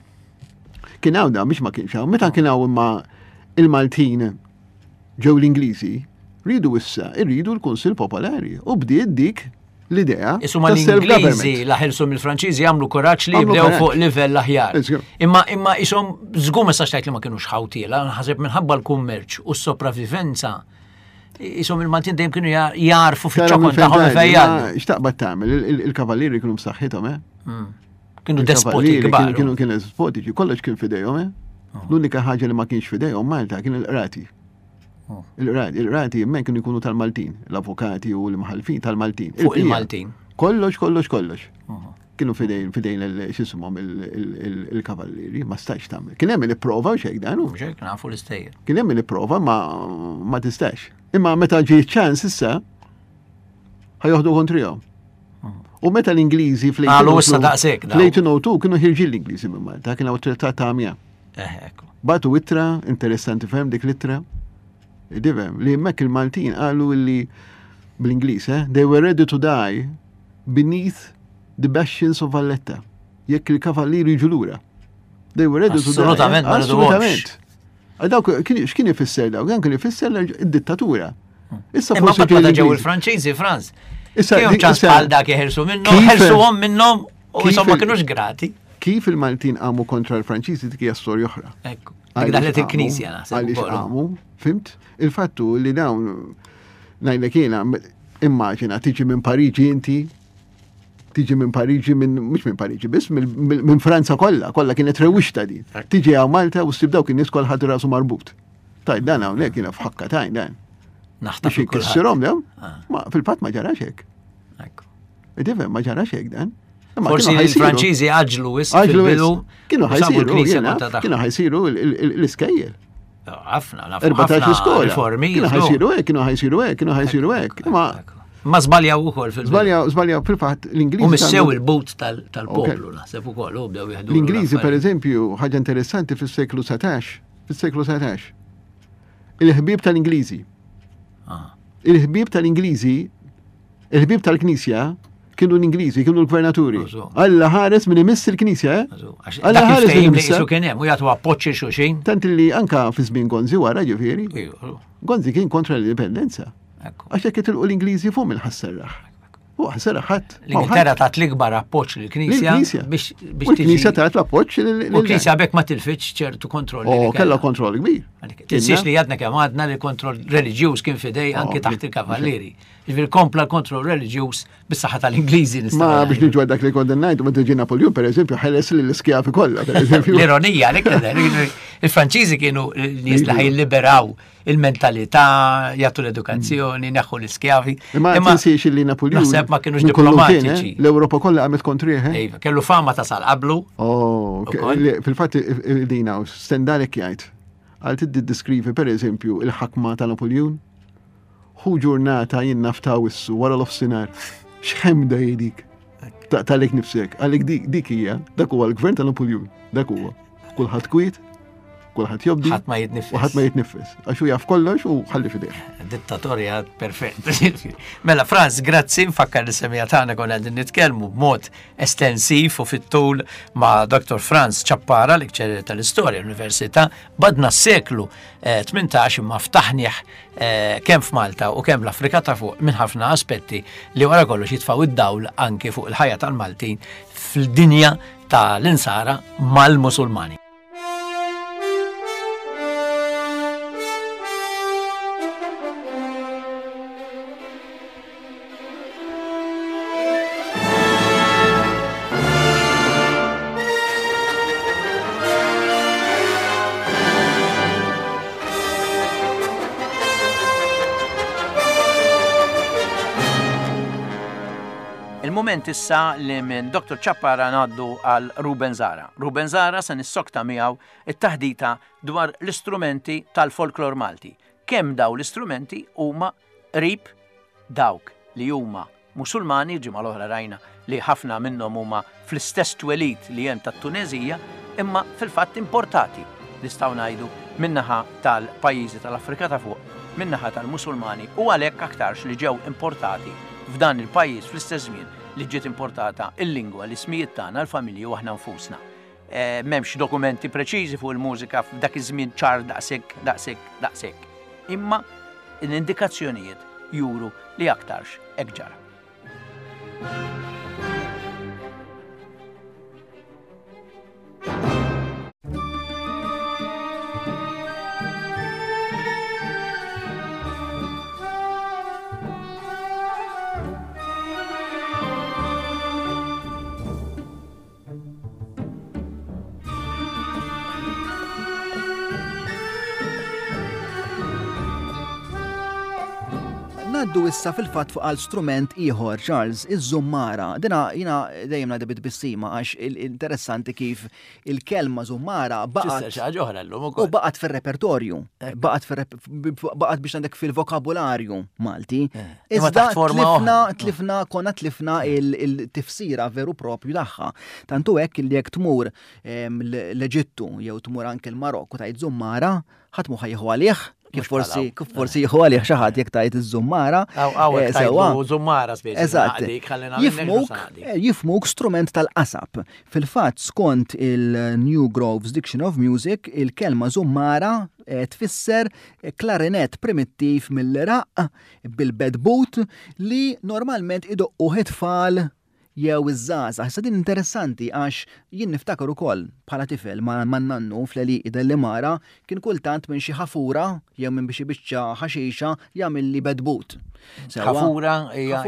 Kien hawn da, mhix ma kienx hawn. Meta kien hawn imma il-Maltin ġew l-Ingliżi, rridu issa, irridu l-Kunsill Popolari u bdiet dik l-idea. Isuma l-Ingliżi la ħelsu mill-Franċiżi għamlu kuraġġ li jibdew fuq livell aħjar. Imma imma isom żgur ma sax tgħid li ma kinux ħawtiela, ħaseb minħabba l-kummerċ u s-sopravivenza. Isom il-Maltin dejjem kienu jarfu fiċ-ċokon tagħhom fejjan. X'taqbad tagħmel, il-kavallieri kienu b'saħħithom, eh? Mm. Kienu despoti kbar. Kienu kienu despotiċi, kollox kien fidejhom, eh? Oh. L-unika ħaġa li ma kienx fidejhom Malta kien il-qrati. Oh. Il-qrati, il-qrati jemmen kienu jkunu tal-Maltin, l-avukati u l-imħalfin tal-Maltin. Fuq il-Maltin. Kollox, kollox, kollox. Oh. Kienu fidejn, fidejn xisumhom il-kavallieri, ma stax tagħmel. Kien hemm il-prova u xejn dan. Xejn nafu l-istejjer. Kien hemm il-prova ma tistax. Imma meta ġie ċans issa, ħajoħdu kontrihom. U meta l-Ingliżi fl-1802 kienu ħirġin l-Ingliżi minn Malta, kien hawn trattat ta' Amiens. Eh, Batu ittra, interessanti fem dik l-ittra. Divem, li hemmhekk il-Maltin qalu li bl-Ingliż, eh, they were ready to die beneath the bastions of Valletta. Jekk il-kavallieri jiġu lura. They were ready to die. Assolutament, assolutament. Dawk x'kien ifisser dawk? Dan kien ifisser id-dittatura. Issa forsi meta ġew il-Franċiżi, Franz. Issa kienu ċans bħal dak jeħirsu minnhom, ħelsuhom minnhom u insomma ma kinux grati. Kif il-Maltin qamu kontra l-Franċiżi dik hija storja oħra. Ekku. Dik daħlet il-Knisja naħseb. Għaliex qamu, fimt? Il-fattu li dawn ngħidlek jiena immaġina tiġi minn Pariġi inti tiġi minn Pariġi minn mhux minn Pariġi biss minn Franza kollha, kollha kienet rewwixta din. Tiġi hawn Malta u ssib dawk in-nies kollha ħadu rasu marbut. Tajt dan hawnhekk jiena f'ħakka tajn dan. Naħtaf Biex inkissirhom dew. Ah. Ma fil-fatt ma ġarax hekk. Tifhem ma ġarax hekk dan. Forsi il-Franċiżi għaġlu wis fil-bidu. Kienu ħajsiru, kienu ħajsiru l-iskejjel. Ħafna, ħafna skola. Riformi. Kienu ħajsiru hekk, kienu ħajsiru hekk, kienu ħajsiru hekk. Ma Ma żbaljaw ukoll fil Żbaljaw, żbaljaw fil-fatt l-Ingliżi. U missew il-but tal-poplu naħseb ukoll u bdew jieħdu. L-Ingliżi pereżempju ħaġa interessanti fis-seklu 19, fis-seklu 19. Il-ħbieb tal-Ingliżi. Ah. Il-ħbieb tal-Ingliżi, il-ħbieb tal-Knisja kienu l-Ingliżi, kienu l-gvernaturi. Alla ħares minn imiss il-Knisja, eh? Alla ħares minn imiss. Kien hemm u jagħtu appoġġ il xulxin. Tant li anka fi żmien Gonzi wara ġifieri. Gonzi kien kontra l-indipendenza. Għax jekk jitilqu l-Ingliżi fuq minn ħasserraħ. U ħasserraħ ħadd. L-Ingilterra tat l-ikbar appoġġ lill-Knisja biex biex Il-Knisja tat l-appoġġ lill-Knisja bekk ma tilfitx ċertu kontroll. Oh, kellha kontroll kbir. Tinsiex li għadna kemm għadna li kontroll reliġjuż kien fidej anki oh, taħt il-kavallieri. Ġifieri kompla l-kontroll reliġjuż bis-saħħa tal-Ingliżi nistgħu. Ma biex niġu dak li kondennajt, meta ġie Napoleon pereżempju ħeles lill-iskjavi kollha pereżempju. L-ironija li il-Franċiżi kienu nies li ħajliberaw il-mentalità, jagħtu l-edukazzjoni, neħħu l-iskjavi. Imma tinsiex li Napoleon. Naħseb ma kienux diplomatiċi. Eh? L-Ewropa kollha għamet kontrih. Eh? Iva, kellu fama ta' sal qablu. Oh, fil-fatt dina, Stendalek jgħid. Għal tiddi diskrivi per eżempju il-ħakma ta' Napoleon. Hu ġurnata jien nafta wissu wara l-offsinar. X'ħemda jidik. Taqtalek nifsek, għalik dik hija, dak huwa l-gvern ta' Napoleon, dak huwa. Kulħadd kwiet, kulħadd jobdi. Ħadd ma jitnifes. U ħadd ma jitnifes. Għax hu jaf kollox u ħalli fideh. Dittatorja perfett. Mela Franz, grazzi nfakkar li semija tagħna konna qegħdin nitkellmu b'mod estensiv u fit-tul ma' Dr. Franz Ċappara, l-ikċer tal-istorja l-Università, badna s-seklu 18 eh, imma ftaħnieh eh, kemm f'Malta u kemm l-Afrika ta' fuq minn ħafna aspetti li wara kollox jitfgħu id-dawl anki fuq il-ħajja tal-Maltin fil-dinja ta' l-insara mal-Musulmani. Il-mument issa li minn Dr. Ciappara ngħaddu għal Ruben Zahra. Ruben Zahra se nissokta miegħu it-taħdita dwar l-istrumenti tal-folklor Malti. Kemm daw l-istrumenti huma qrib dawk li huma Musulmani, il-ġimgħa l-oħra rajna li ħafna minnhom huma fl-istess twelid li hemm tat-Tuneżija, imma fil-fatt importati, nistgħu ngħidu, min-naħa tal-pajjiżi tal-Afrika ta' Fuq, min-naħa tal-Musulmani u għalhekk aktarx li ġew importati f'dan il-pajjiż fl-istess żmien li ġiet importata l-lingwa, l-ismijiet tagħna, l-familji u aħna nfusna. Eh, m'hemmx dokumenti preċiżi fuq il-mużika f'dak iż-żmien ċar daqshekk, daqshekk, daqshekk. Imma l-indikazzjonijiet juru li aktarx hekk ġara. Naddu issa fil-fatt fuq għal strument ieħor, Charles, iż-żummara. Dina jina dejjem ngħidha bit-tbissima għax interessanti kif il-kelma żummara baqgħet. Xi ħaġa oħra llum ukoll. U baqgħet fir-repertorju, baqgħet biex għandek fil-vokabularju Malti. Eh. Iżda tlifna, tlifna, konna tlifna il-tifsira veru propju tagħha. Tantu hekk li jekk tmur l-Eġittu jew tmur anke l-Marokku tajt żummara, ħadd mhu ħajħu għalih, kif forsi kif forsi jieħu għalih xi ħadd jekk tajt iż-żummara. Eh, sewwa. Żummara speċi. Eżatt. Jifmuk, eh, jifmuk strument tal-qasab. Fil-fatt skont il-New Groves Diction of Music, il-kelma żummara eh, tfisser klarinet primittiv mill-Iraq bil-bedbut li normalment idoqquh it-tfal. jew iż-żgħażagħ. Issa din interessanti għax jien niftakar ukoll bħala tifel ma' nannu fl-għelieqi Dellimara kien kultant minn xi ħafura jew minn xi biċċa ħaxixa jagħmilli bedbut. Ħafura hija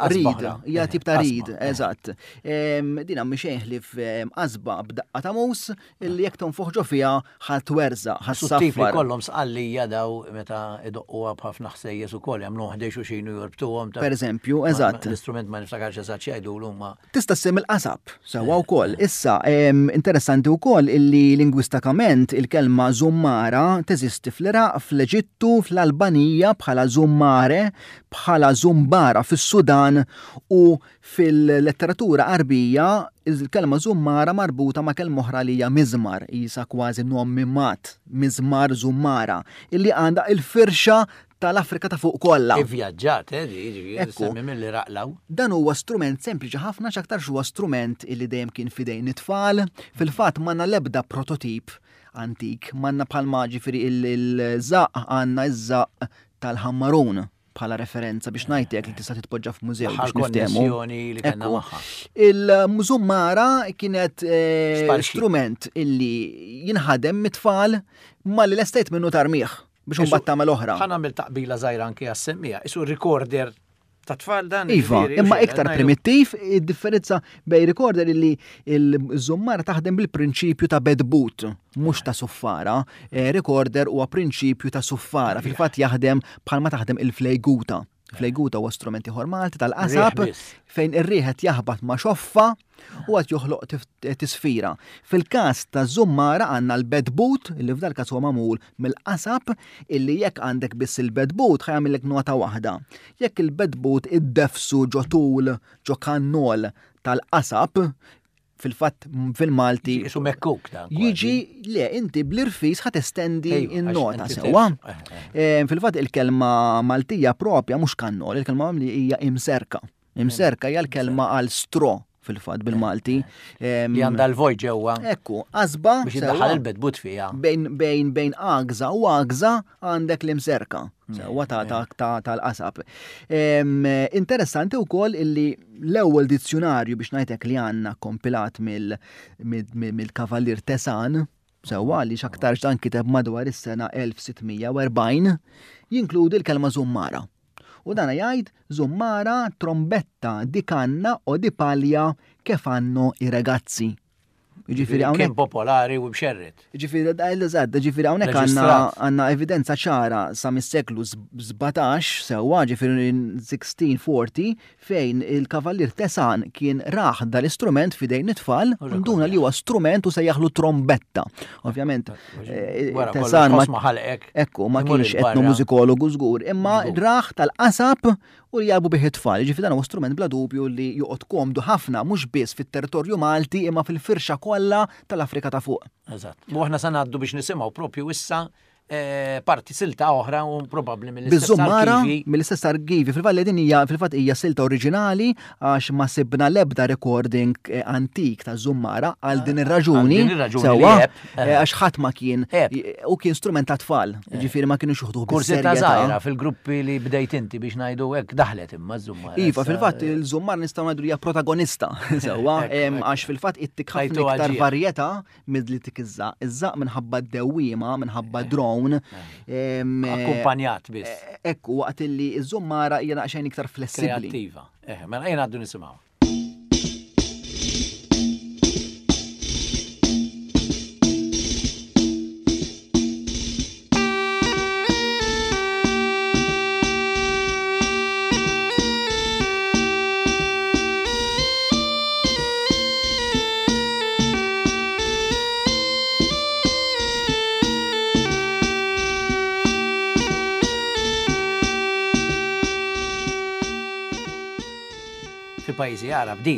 rid, hija tip ta' rid, eżatt. Din mhi xejn ħlief qasba b'daqqa ta' mus illi jekk tonfoħ ġo fiha ħa twerżaq, ħa ssaffar. Tip li kollhom sqallija daw meta idoqquha b'ħafna ħsejjes ukoll jagħmluhom ħdejn xulxin u jorbtuhom. Per eżempju, eżatt. L-istrument ma niftakarx eżatt x'jgħidulu ma. Tista' ssemmi l-qasab sewwa wkoll. Issa, interessanti wkoll illi lingwistakament il-kelma żummara teżisti fl-Iraq, fl-Eġittu, fl-Albanija bħala zummare, bħala zumbara fis-Sudan u Fil-letteratura Għarbija, il-kelma żummara marbuta ma' kelma oħra li hija miżmar, qisha kważi nom mimmat, miżmar, żummara, illi għandha il-firxa tal-Afrika ta' fuq kollha. Ivvjaġġat, eh, di, jiġifieri, semmi mill-Iraq 'l hawn. Dan huwa strument sempliċi ħafna x'aktarx huwa strument illi dejjem kien f'idejn it-tfal. Fil-fatt m'għandna l-ebda prototip antik, m'għandna bħalma ġifieri il-żaqq għandna ż-żaqq tal-ħammarun. bħala referenza biex ngħidlek li tista' titpoġġa f'mużew biex niftehmu. li kellna magħha. Il-mużummara kienet eh, strument illi jinħadem mit-tfal ma li l-estate minnu tarmiħ biex imbagħad tagħmel oħra. Ħa nagħmel taqbila żgħira anke għas-semmija, isu recorder ta' tfal dan. Iva, imma iktar primittiv, id-differenza bej recorder illi il-żummara taħdem bil-prinċipju ta' bedbut, mhux ta' suffara. Eh, recorder huwa prinċipju ta' suffara, fil-fatt jaħdem bħalma taħdem il-flejguta. Flejguta huwa strument ieħor Malti tal-qasab fejn ir-riħ qed jaħbat ma' xoffa u qed joħloq tisfira. Fil-każ ta' żummara għandna l-bedbut li f'dal każ huwa magħmul mill-qasab illi jekk għandek biss il-bedbut ħa jagħmillek nota waħda. Jekk il-bedbut iddefsu ġo tul ġo kannol tal-qasab fil-fatt fil-Malti. Isu mekkuk dan. Jiġi, le, inti bl-irfis ħa testendi in-nota sewwa. Eh, eh. eh, fil-fatt il-kelma Maltija propja mhux kannol, il-kelma li hija imserka. Imserka hija l-kelma għal stro fil-fatt bil-Malti. Li għandha l-voj ġewwa. Ekku, qasba. Biex iddaħħal il-bedbut fiha. Bejn bejn bejn għagża u għagża għandek l-imserka. Sewwa tal-qasab. Interessanti wkoll illi l-ewwel dizzjunarju biex ngħidlek li għandna kompilat mill-Kavallier Tesan, sewwa li x'aktarx dan kiteb madwar is-sena 1640, jinkludi l-kelma żummara. U dana jgħid żummara, trombetta di canna o di paglia che fanno i ragazzi. Jiġifieri hawnhekk kien popolari u mxerred. Jiġifieri eżatt, jiġifieri hawnhekk għandna għandna evidenza ċara sa mis-seklu 17 sewwa, ġifieri 1640 fejn il-Kavallier Tesan kien rah dal-istrument f'idejn it-tfal, nduna li huwa strument u sejjaħlu trombetta. Ovvjament, eh, Tesan ma Ekku, ma kienx etnomużikologu żgur, imma rah tal-qasab u li jagħbu bih it-tfal. Jiġifieri dan huwa strument bla dubju li joqgħod komdu ħafna mhux biss fit-territorju Malti imma fil-firxa kollha tal-Afrika ta' fuq. Eżatt. U aħna sa ngħaddu biex nisimgħu propju issa eh, parti silta oħra u probabbli mill-istess arkivi. Mill-istess arkivi. Fil-fatt din hija fil-fatt hija silta oriġinali għax ma sibna l-ebda recording eh, antik ta' Żummara għal din ir-raġuni. Sewwa. Eh, għax ħadd ma kien u kien strument ta' tfal, eh. ġifieri ma kienu xuħdu Kursetta żgħira fil-gruppi li bdejt inti biex ngħidu hekk daħlet imma ż-żummar. Iva, fil-fatt il-żummar nistgħu ngħidu hija protagonista sewwa għax fil-fatt ittik ħafna iktar varjetà milli tik iż-żaq. Iż-żaq minħabba d-dewwiema, minħabba eh. drone. Akkumpanjat biss. Ekku waqt li ż-żummara hija naqxejn iktar flessibbli. Kreattiva. Mela ejja ngħaddu nisimgħu. Fil-pajjiżi Għarab di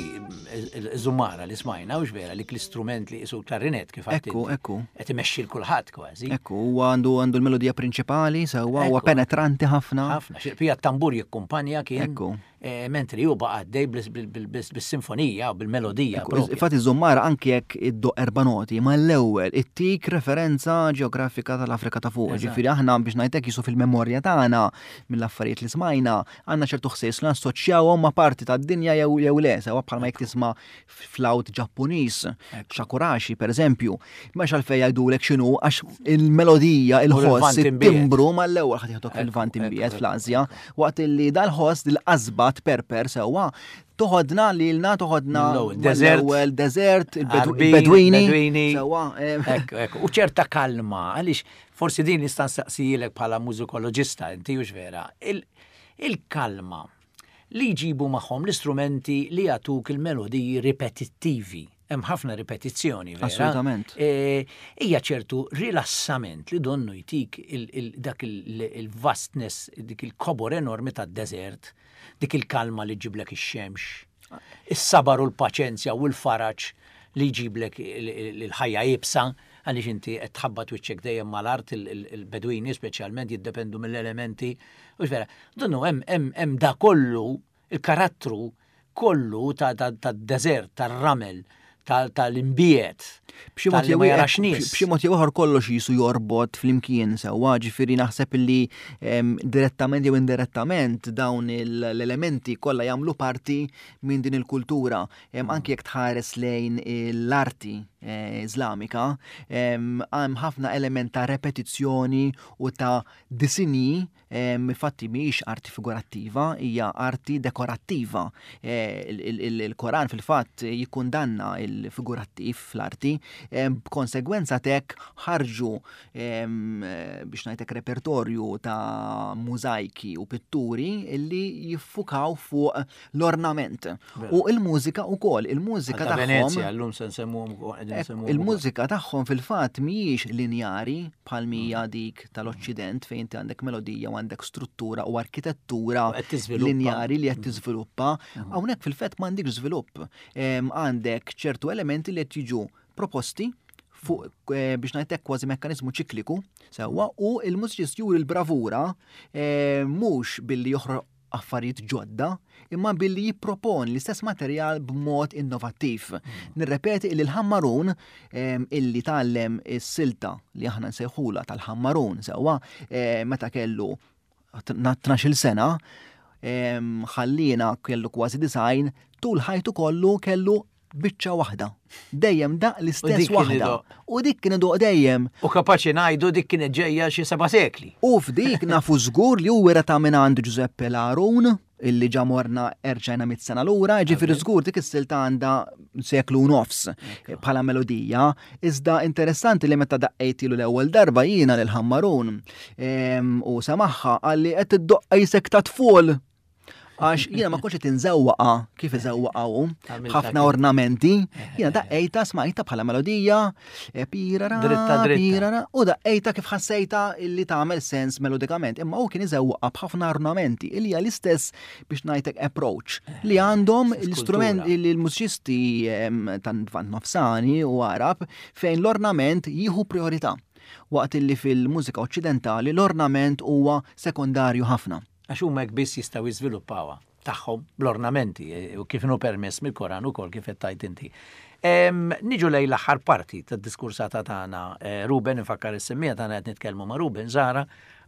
iż-żummara li smajna hux vera li l-istrument li qisu klarinet kif għedt. Ekku, ekku. Qed imexxi l kulħadd kważi. Ekku, huwa għandu għandu l-melodija prinċipali sewwa huwa penetranti ħafna. Ħafna, xi tambur jikkumpanja kien. Ekku. Mentri hu baqa' għaddej bis-sinfonija u bil-melodija. Infatti iż-żummara anki jekk iddoqq erba' noti, mal-ewwel ittik referenza ġeografika tal-Afrika ta' fuq. Ġifieri aħna biex ngħidlek jisu fil-memorja tagħna mill-affarijiet li smajna, għandna ċertu ħsies li nassoċjawhom ma' parti tad-dinja jew le, sewa bħalma jekk tisma' flawt Ġappuniż, shakurashi pereżempju. M'hemmx għalfejn jgħidulek x'inhu għax il-melodija, il-ħoss, it-timbru mal-ewwel ħadd jieħdok fil-Lvant imbiegħed fl-Asja, waqt illi dal-ħoss dil-qasba tperper sewwa toħodna lilna toħodna l-ewwel deżert, il-Bedwini. Sewwa. U ċerta kalma, għaliex forsi din nista' nsaqsijilek bħala mużikoloġista, inti hux vera, il-kalma li jġibu magħhom l-istrumenti li jagħtuk il-melodiji ripetittivi. Hemm ħafna ripetizzjoni, vera? Assolutament. E, hija ċertu rilassament li donnu jtik dak il-vastness, dik il-kobor enormi tad-deżert, dik il-kalma li ġiblek ix-xemx, is-sabar u l-paċenzja u l-faraġ li jġiblek il-ħajja iebsa, għaliex inti qed tħabbat wiċċek dejjem mal-art il-Bedwini speċjalment jiddependu mill-elementi. U vera, donnu hemm hemm da kollu il-karattru kollu tad-deżert, tar-ramel, tal-imbiet. B'xi mod jew b'xi mod jew ieħor kollox jisu jorbot flimkien sewwa, ġifieri naħseb li direttament jew indirettament dawn l-elementi kollha jagħmlu parti minn din il-kultura. Anki jekk tħares lejn l-arti eh, Iżlamika, hemm ħafna element ta' repetizzjoni u ta' disinji Infatti mhijiex arti figurattiva, hija arti dekorattiva. Eh, il-Koran fil-fatt jikkundanna il-figurattiv fl-arti, b'konsegwenza tek ħarġu biex ngħidlek repertorju ta' mużajki u pitturi illi jiffukaw fuq l-ornament. U il-mużika wkoll, il-mużika tagħhom. Venezia, llum se nsemmuhom Il-mużika tagħhom fil-fatt mhijiex linjari bħal mija mm. dik tal-Oċċident fejn inti għandek melodija u għandek struttura u arkitettura linjari li qed mm. tiżviluppa. Mm. Hawnhekk fil-fatt m'għandekx żvilupp. Għandek ċertu elementi li qed jiġu proposti fuq eh, biex ngħidlek kważi mekkaniżmu ċikliku sewwa u il-mużiċist juri l-bravura eh, mhux billi joħroq affarijiet ġodda, imma billi jipproponi l-istess materjal b'mod innovattiv. Mm. Nirrepeti li l-ħammarun illi tgħallem is-silta li aħna nsejħula tal-ħammarun sewwa meta kellu 12-il sena, ħallina kellu kważi design, tul ħajtu kollu kellu biċċa waħda. Dejjem daq l-istess waħda. U dik kien idoq dejjem. U kapaċi ngħidu dik kienet ġejja xi seba' sekli. U f'dik nafu żgur li hu wera ta' minn għand Giuseppe Larun illi ġa morna erġajna mit sena lura, ġifieri żgur dik is-silta għandha seklu nofs bħala melodija. Iżda interessanti li meta daqqejtilu l-ewwel darba jiena lil Ħammarun u semaħħa qalli qed iddoqqa jisek ta' tful. Għax jiena ma kontx qed inżewwaqa kif iżewwaqa hu, ħafna ornamenti, jiena daqqejta smajta bħala melodija, e, pirara, pirara, u daqqejta kif ħassejta illi tagħmel sens melodikament. Imma hu kien iżewwaqa b'ħafna ornamenti illi hija l-istess biex ngħidlek approach li għandhom l-istrument il-mużiċisti tan-Lvant Nofsani u Arab fejn l-ornament jieħu priorità waqt illi fil-mużika oċċidentali l-ornament huwa sekondarju ħafna. Għax huma hekk biss jistgħu jiżviluppawha tagħhom bl-ornamenti u kif inhu permess mill-Koran ukoll kif qed tgħid inti. Niġu lejn l-aħħar parti tad-diskursata tagħna eh, Ruben, infakkar is-semmija tagħna qed nitkellmu ma' Ruben Zara,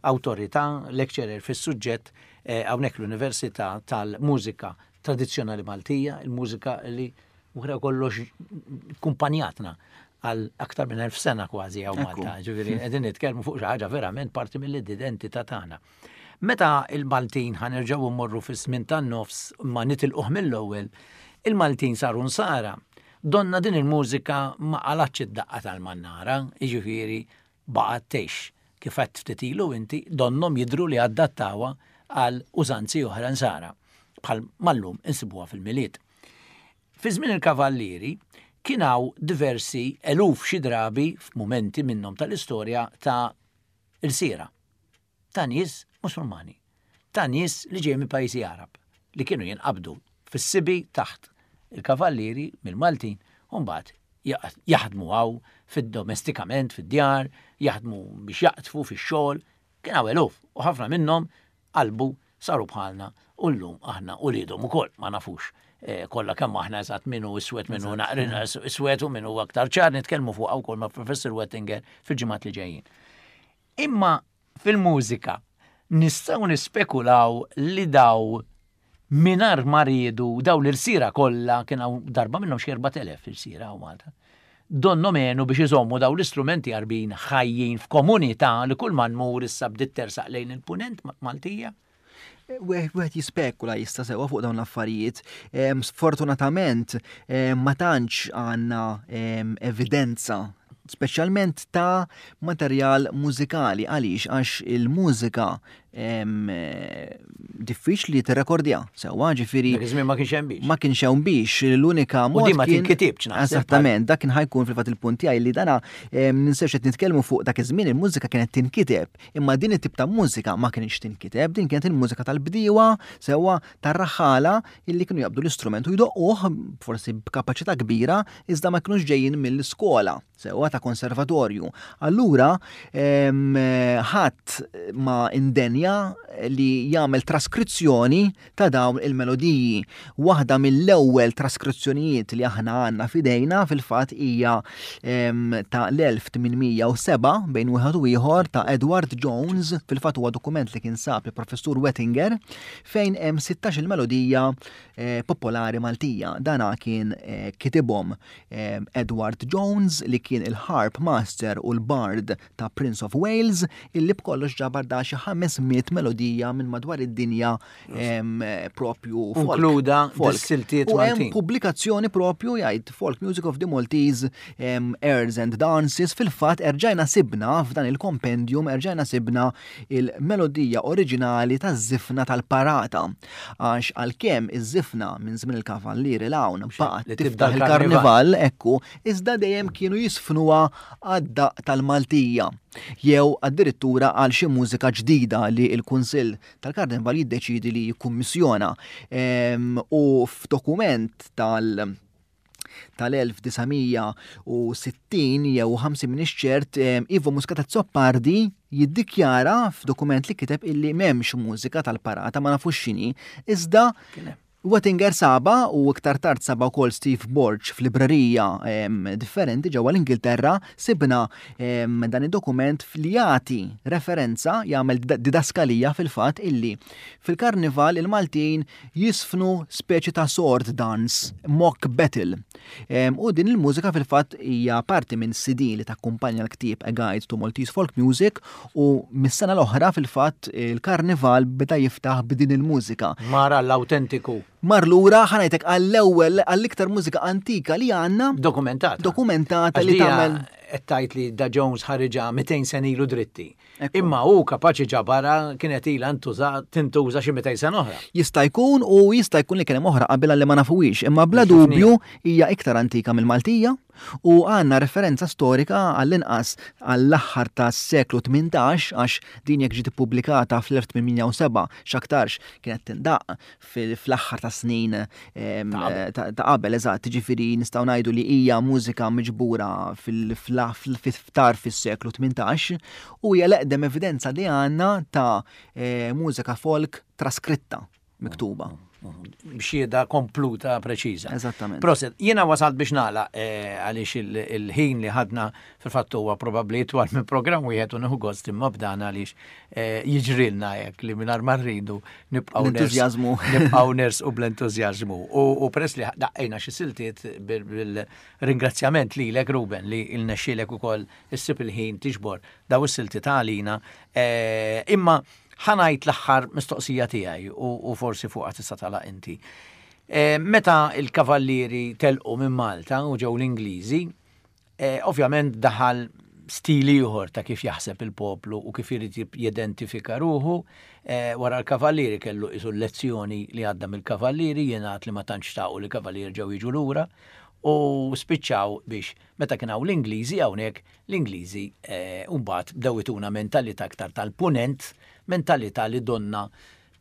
awtorità, lecturer fis-suġġett eh, hawnhekk l-Università tal-Mużika Tradizzjonali Maltija, il-mużika li wara kollox kumpanjatna għal aktar minn 1000 sena kważi hawn Malta. Ġifieri qegħdin nitkellmu fuq xi ħaġa verament parti mill-identità tagħna. Meta il-Maltin ħa nerġgħu mmorru fiż-żmien tan-nofs ma nitilquh mill-ewwel, il-Maltin saru nsara. Donna din il-mużika ma qalgħatx id-daqqa tal-mannara, jiġifieri baqgħet tgħix. Kif għedt ftit ilu inti, donnhom jidhru li adattawha għal użanzi oħra nsara, bħal ma llum insibuha fil-Milied. Fi żmien il-Kavallieri kien hawn diversi eluf xi drabi f'mumenti minnhom tal-istorja ta' ilsiera. ta' nies Musulmani, ta' nies li ġejjin minn pajjiżi Għarab li kienu jinqabdu fis-sibi taħt il-kavallieri mill-Maltin u mbagħad jaħdmu hawn fid-domestikament fid-djar, jaħdmu biex jaqdfu fix-xogħol, kien hawn eluf u ħafna minnhom qalbu saru bħalna U llum aħna uliedhom ukoll ma nafux eh, kollha kemm aħna eżatt min hu iswed min hu naqrin iswed u min hu aktar ċar nitkellmu fuqha wkoll ma' Professor Wettinger fil-ġimgħat li ġejjin. Imma fil-mużika nistgħu nispekulaw li daw mingħajr ma riedu daw l-irsira kollha kien hawn darba minnhom xi 4000 irsira hawn Malta. Donnhom għenu biex iżommu daw l-istrumenti Għarbin ħajjin f'komunità li kull ma nmur issa bdiet tersaq lejn il-punent Maltija. Wieħed jispekula jista' sewwa fuq dawn l-affarijiet. Sfortunatament ma tantx għandna evidenza speċjalment ta' materjal mużikali għaliex għax il-mużika diffiċli tirrekordja sewwa ġifieri. Dak iż-żmien ma kienx hemm biex. Ma kienx hemm biex, l-unika mod. U din ma tinkitibx naħseb. Eżattament, dak kien ħajkun fil-fatt il-punt tiegħi li dana ninsewx qed nitkellmu fuq dak iż-żmien il-mużika kienet tinkiteb, imma din it-tip ta' mużika ma kienx tinkiteb, din kienet il-mużika tal-bdiewa sewwa tar-raħħala illi kienu jaqbdu l-istrument u jdoqquh forsi b'kapaċità kbira iżda ma kinux ġejjin mill-iskola. sewwa ta' konservatorju. Allura ħadd ma indenja li jagħmel traskrizzjoni ta' dawn il-melodiji. Waħda mill-ewwel traskrizzjonijiet li aħna għandna f'idejna fil-fatt hija ta' l-1807 bejn wieħed u ieħor ta' Edward Jones, fil-fatt huwa dokument li kien sab il-professur Wettinger fejn hemm 16 il-melodija eh, popolari Maltija. Dana kien eh, kitibhom Edward Jones li kien il-harp master u l-bard ta' Prince of Wales illi b'kollox ġabar da xi 500 melodija minn madwar id-dinja propju folk. Inkluda siltiet U hemm pubblikazzjoni propju jgħid Folk Music of the Maltese Airs and Dances fil-fatt erġajna sibna f'dan il-kompendium erġajna sibna il-melodija oriġinali taż-żifna tal-parata. Għax għalkemm iż-żifna minn żmien il-Kavallieri 'l hawn baqgħet tiftaħ il-karnival, ekku, iżda dejjem kienu jisfnuha għad-daqq tal-Maltija jew addirittura għal xi mużika ġdida li l-Kunsill tal-Karnival jiddeċiedi li jikkummissjona. U f'dokument tal- tal-1960 jew 50 minix ċert, Ivo Muscat Azzopardi jiddikjara f'dokument li kiteb illi m'hemmx mużika tal-parata ma nafux x'inhi, iżda Wettinger saba u iktar tard saba wkoll Steve Borg f'librerija differenti ġewwa l-Ingilterra sibna dan id-dokument li jagħti referenza jagħmel didaskalija fil-fatt illi fil-karnival il-Maltin jiżfnu speċi ta' sword dance, mock battle. U din il-mużika fil-fatt hija parti minn CD li takkumpanja l-ktieb A Guide to Maltese Folk Music u mis-sena l-oħra fil-fatt il-karnival beda jiftaħ b'din il-mużika. Mar għall-awtentiku. Mar lura ħa ngħidlek għall-ewwel għall-iktar mużika antika li għandna. Dokumentata. Dokumentata li tagħmel. Qed tgħid li da Jones ħariġha 200 sena ilu dritti. Imma hu kapaċi ġabarha kienet ilha tintuża xi 200 sena oħra. Jista' jkun u jista' jkun li kien hemm oħra qabilha li ma nafuhiex, imma bla dubju hija iktar antika mill-Maltija u għandna referenza storika għall-inqas għall-aħħar tas-seklu 18 għax din jekk ġiet ippubblikata fl-1807 x'aktarx kienet tindaqq fl-aħħar ta' snin ta' qabel, eżatt, ġifieri nistgħu ngħidu li hija mużika miġbura fil-ftar fis-seklu 18 u hija l-eqdem evidenza li għandna ta' eh, mużika folk traskritta miktuba. B'xieda kompluta preċiża. Eżattament. Proset, jiena wasalt biex nagħlaq eh, għaliex il-ħin li ħadna fil-fatt huwa probabbli itwal minn programm wieħed u nieħu gost imma b'dan għaliex eh, jiġrilna hekk li mingħajr ma rridu nibqgħu L-entużjażmu. Nibqgħu nersqu bl-entużjażmu. U peress li daqqejna xi siltiet bil-ringrazzjament lilek Ruben li rnexxielek ukoll issib il-ħin tiġbor daw is-siltiet għalina. Eh, imma ħa ngħid l-aħħar mistoqsija tiegħi u forsi fuqha tista' tagħlaq inti. Eh, meta il-kavallieri telqu minn Malta u ġew l-Ingliżi, Eh, ovvjament daħal stil ieħor ta' kif jaħseb il-poplu u kif irid jidentifika ruħu. Eh, wara l-kavallieri kellu isu lezzjoni li għadda mill-kavallieri, jingħad li ma tantx xtaqu li kavallieri ġew jiġu lura u spiċċaw biex meta kien hawn l-Ingliżi hawnhekk l-Ingliżi eh, mbagħad bdew ituna mentalità aktar tal-punent, mentalità li donna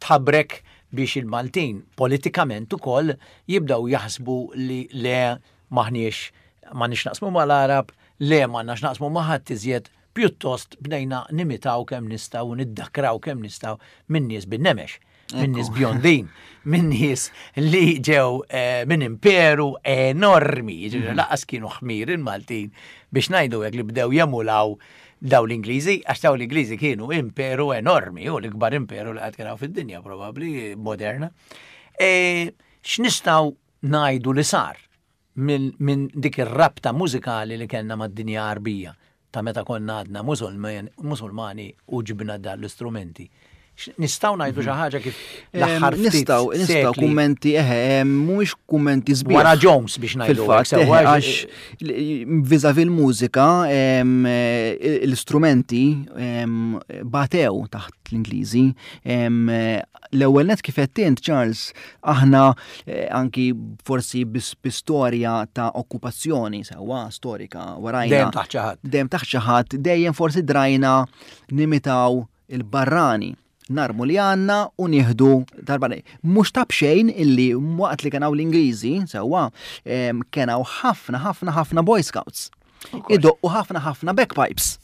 tħabrek biex il-Maltin politikament ukoll jibdew jaħsbu li le M'aħniex m'għandniex x'naqsmu mal-Għarab, le m'għandna x'naqsmu ma' ħadd iżjed, pjuttost bdejna nimitaw kemm nistgħu u niddakraw kemm nistgħu min-nies bin-nemex. minn nies bjondin, minn nies li ġew eh, minn imperu enormi, jiġifieri mhm. laqas kienu ħmir il-Maltin biex ngħidu hekk li bdew jemulaw daw l-Ingliżi, għax daw l-Ingliżi kienu imperu enormi, u l-ikbar imperu li qatt kien fid-dinja probabbli moderna. E, x'nistgħu ngħidu li sar minn dik ir-rabta mużikali li kellna mad-dinja Għarbija ta' meta konna għadna Musulmani u ġibna dan l-istrumenti. Nistgħu ngħidu xi ħaġa kif l-aħħar Nistgħu nistgħu kummenti eħe mhumiex kummenti sbieħ. Wara Jones biex ngħidu. Fil-fatt għax viżavi l-mużika l-istrumenti batew taħt l-Ingliżi. L-ewwel net kif qed int Charles aħna eh, anki forsi bi storja ta' okkupazzjoni sewwa storika warajna. Dejjem taħt xi ħadd. Dejjem taħt xi ħadd, dejjem forsi drajna nimitaw il-barrani narmu li għanna u nieħdu darba. Mhux ta' bxejn illi waqt li kienaw l-Ingliżi, sewwa, kienaw ħafna ħafna ħafna Boy Scouts. Idoqqu ħafna ħafna bagpipes.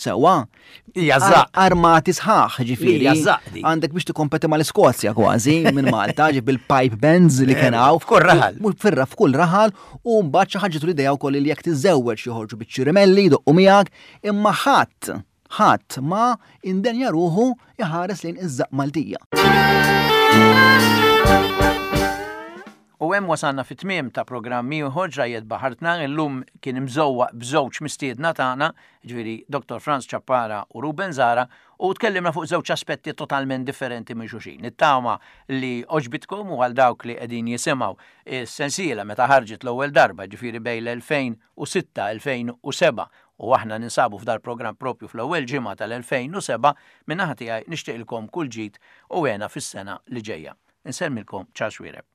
Sewwa. Hija żaqq. Armati sħaħ, ġifieri. Hija żaqq di. Għandek biex tikkompeti mal-Iskozja kważi minn Malta, ġib bil-pipe bands li kien hawn. F'kull raħal. Firra f'kull raħal u mbagħad xi ħaġa l-idea wkoll li jekk tiżżewweġ joħorġu biċ-ċirimelli jdoqqu miegħek, imma ħadd ħadd ma indenja ruħu iħares lejn iż-żaqq Maltija. U hemm wasalna fit-tmiem ta' programm ieħor Ġrajjet Baħartna, illum kien imżewwaq b'żewġ mistiedna tagħna, jiġifieri Dottor Frans Ciappara u Ruben Zahra, u tkellimna fuq żewġ aspetti totalment differenti minn xulxin. Nittama li għoġbitkom u għal dawk li qegħdin jisimgħu s-sensiela meta ħarġet l-ewwel darba, jiġifieri bejn l-2006 2007 u aħna ninsabu f'dal-programm propju fl-ewwel ġimgħa tal-2007, min-naħa tiegħi nixtieqilkom kull ġid u hena fis-sena li ġejja. Insellmilkom Charles Xuereb.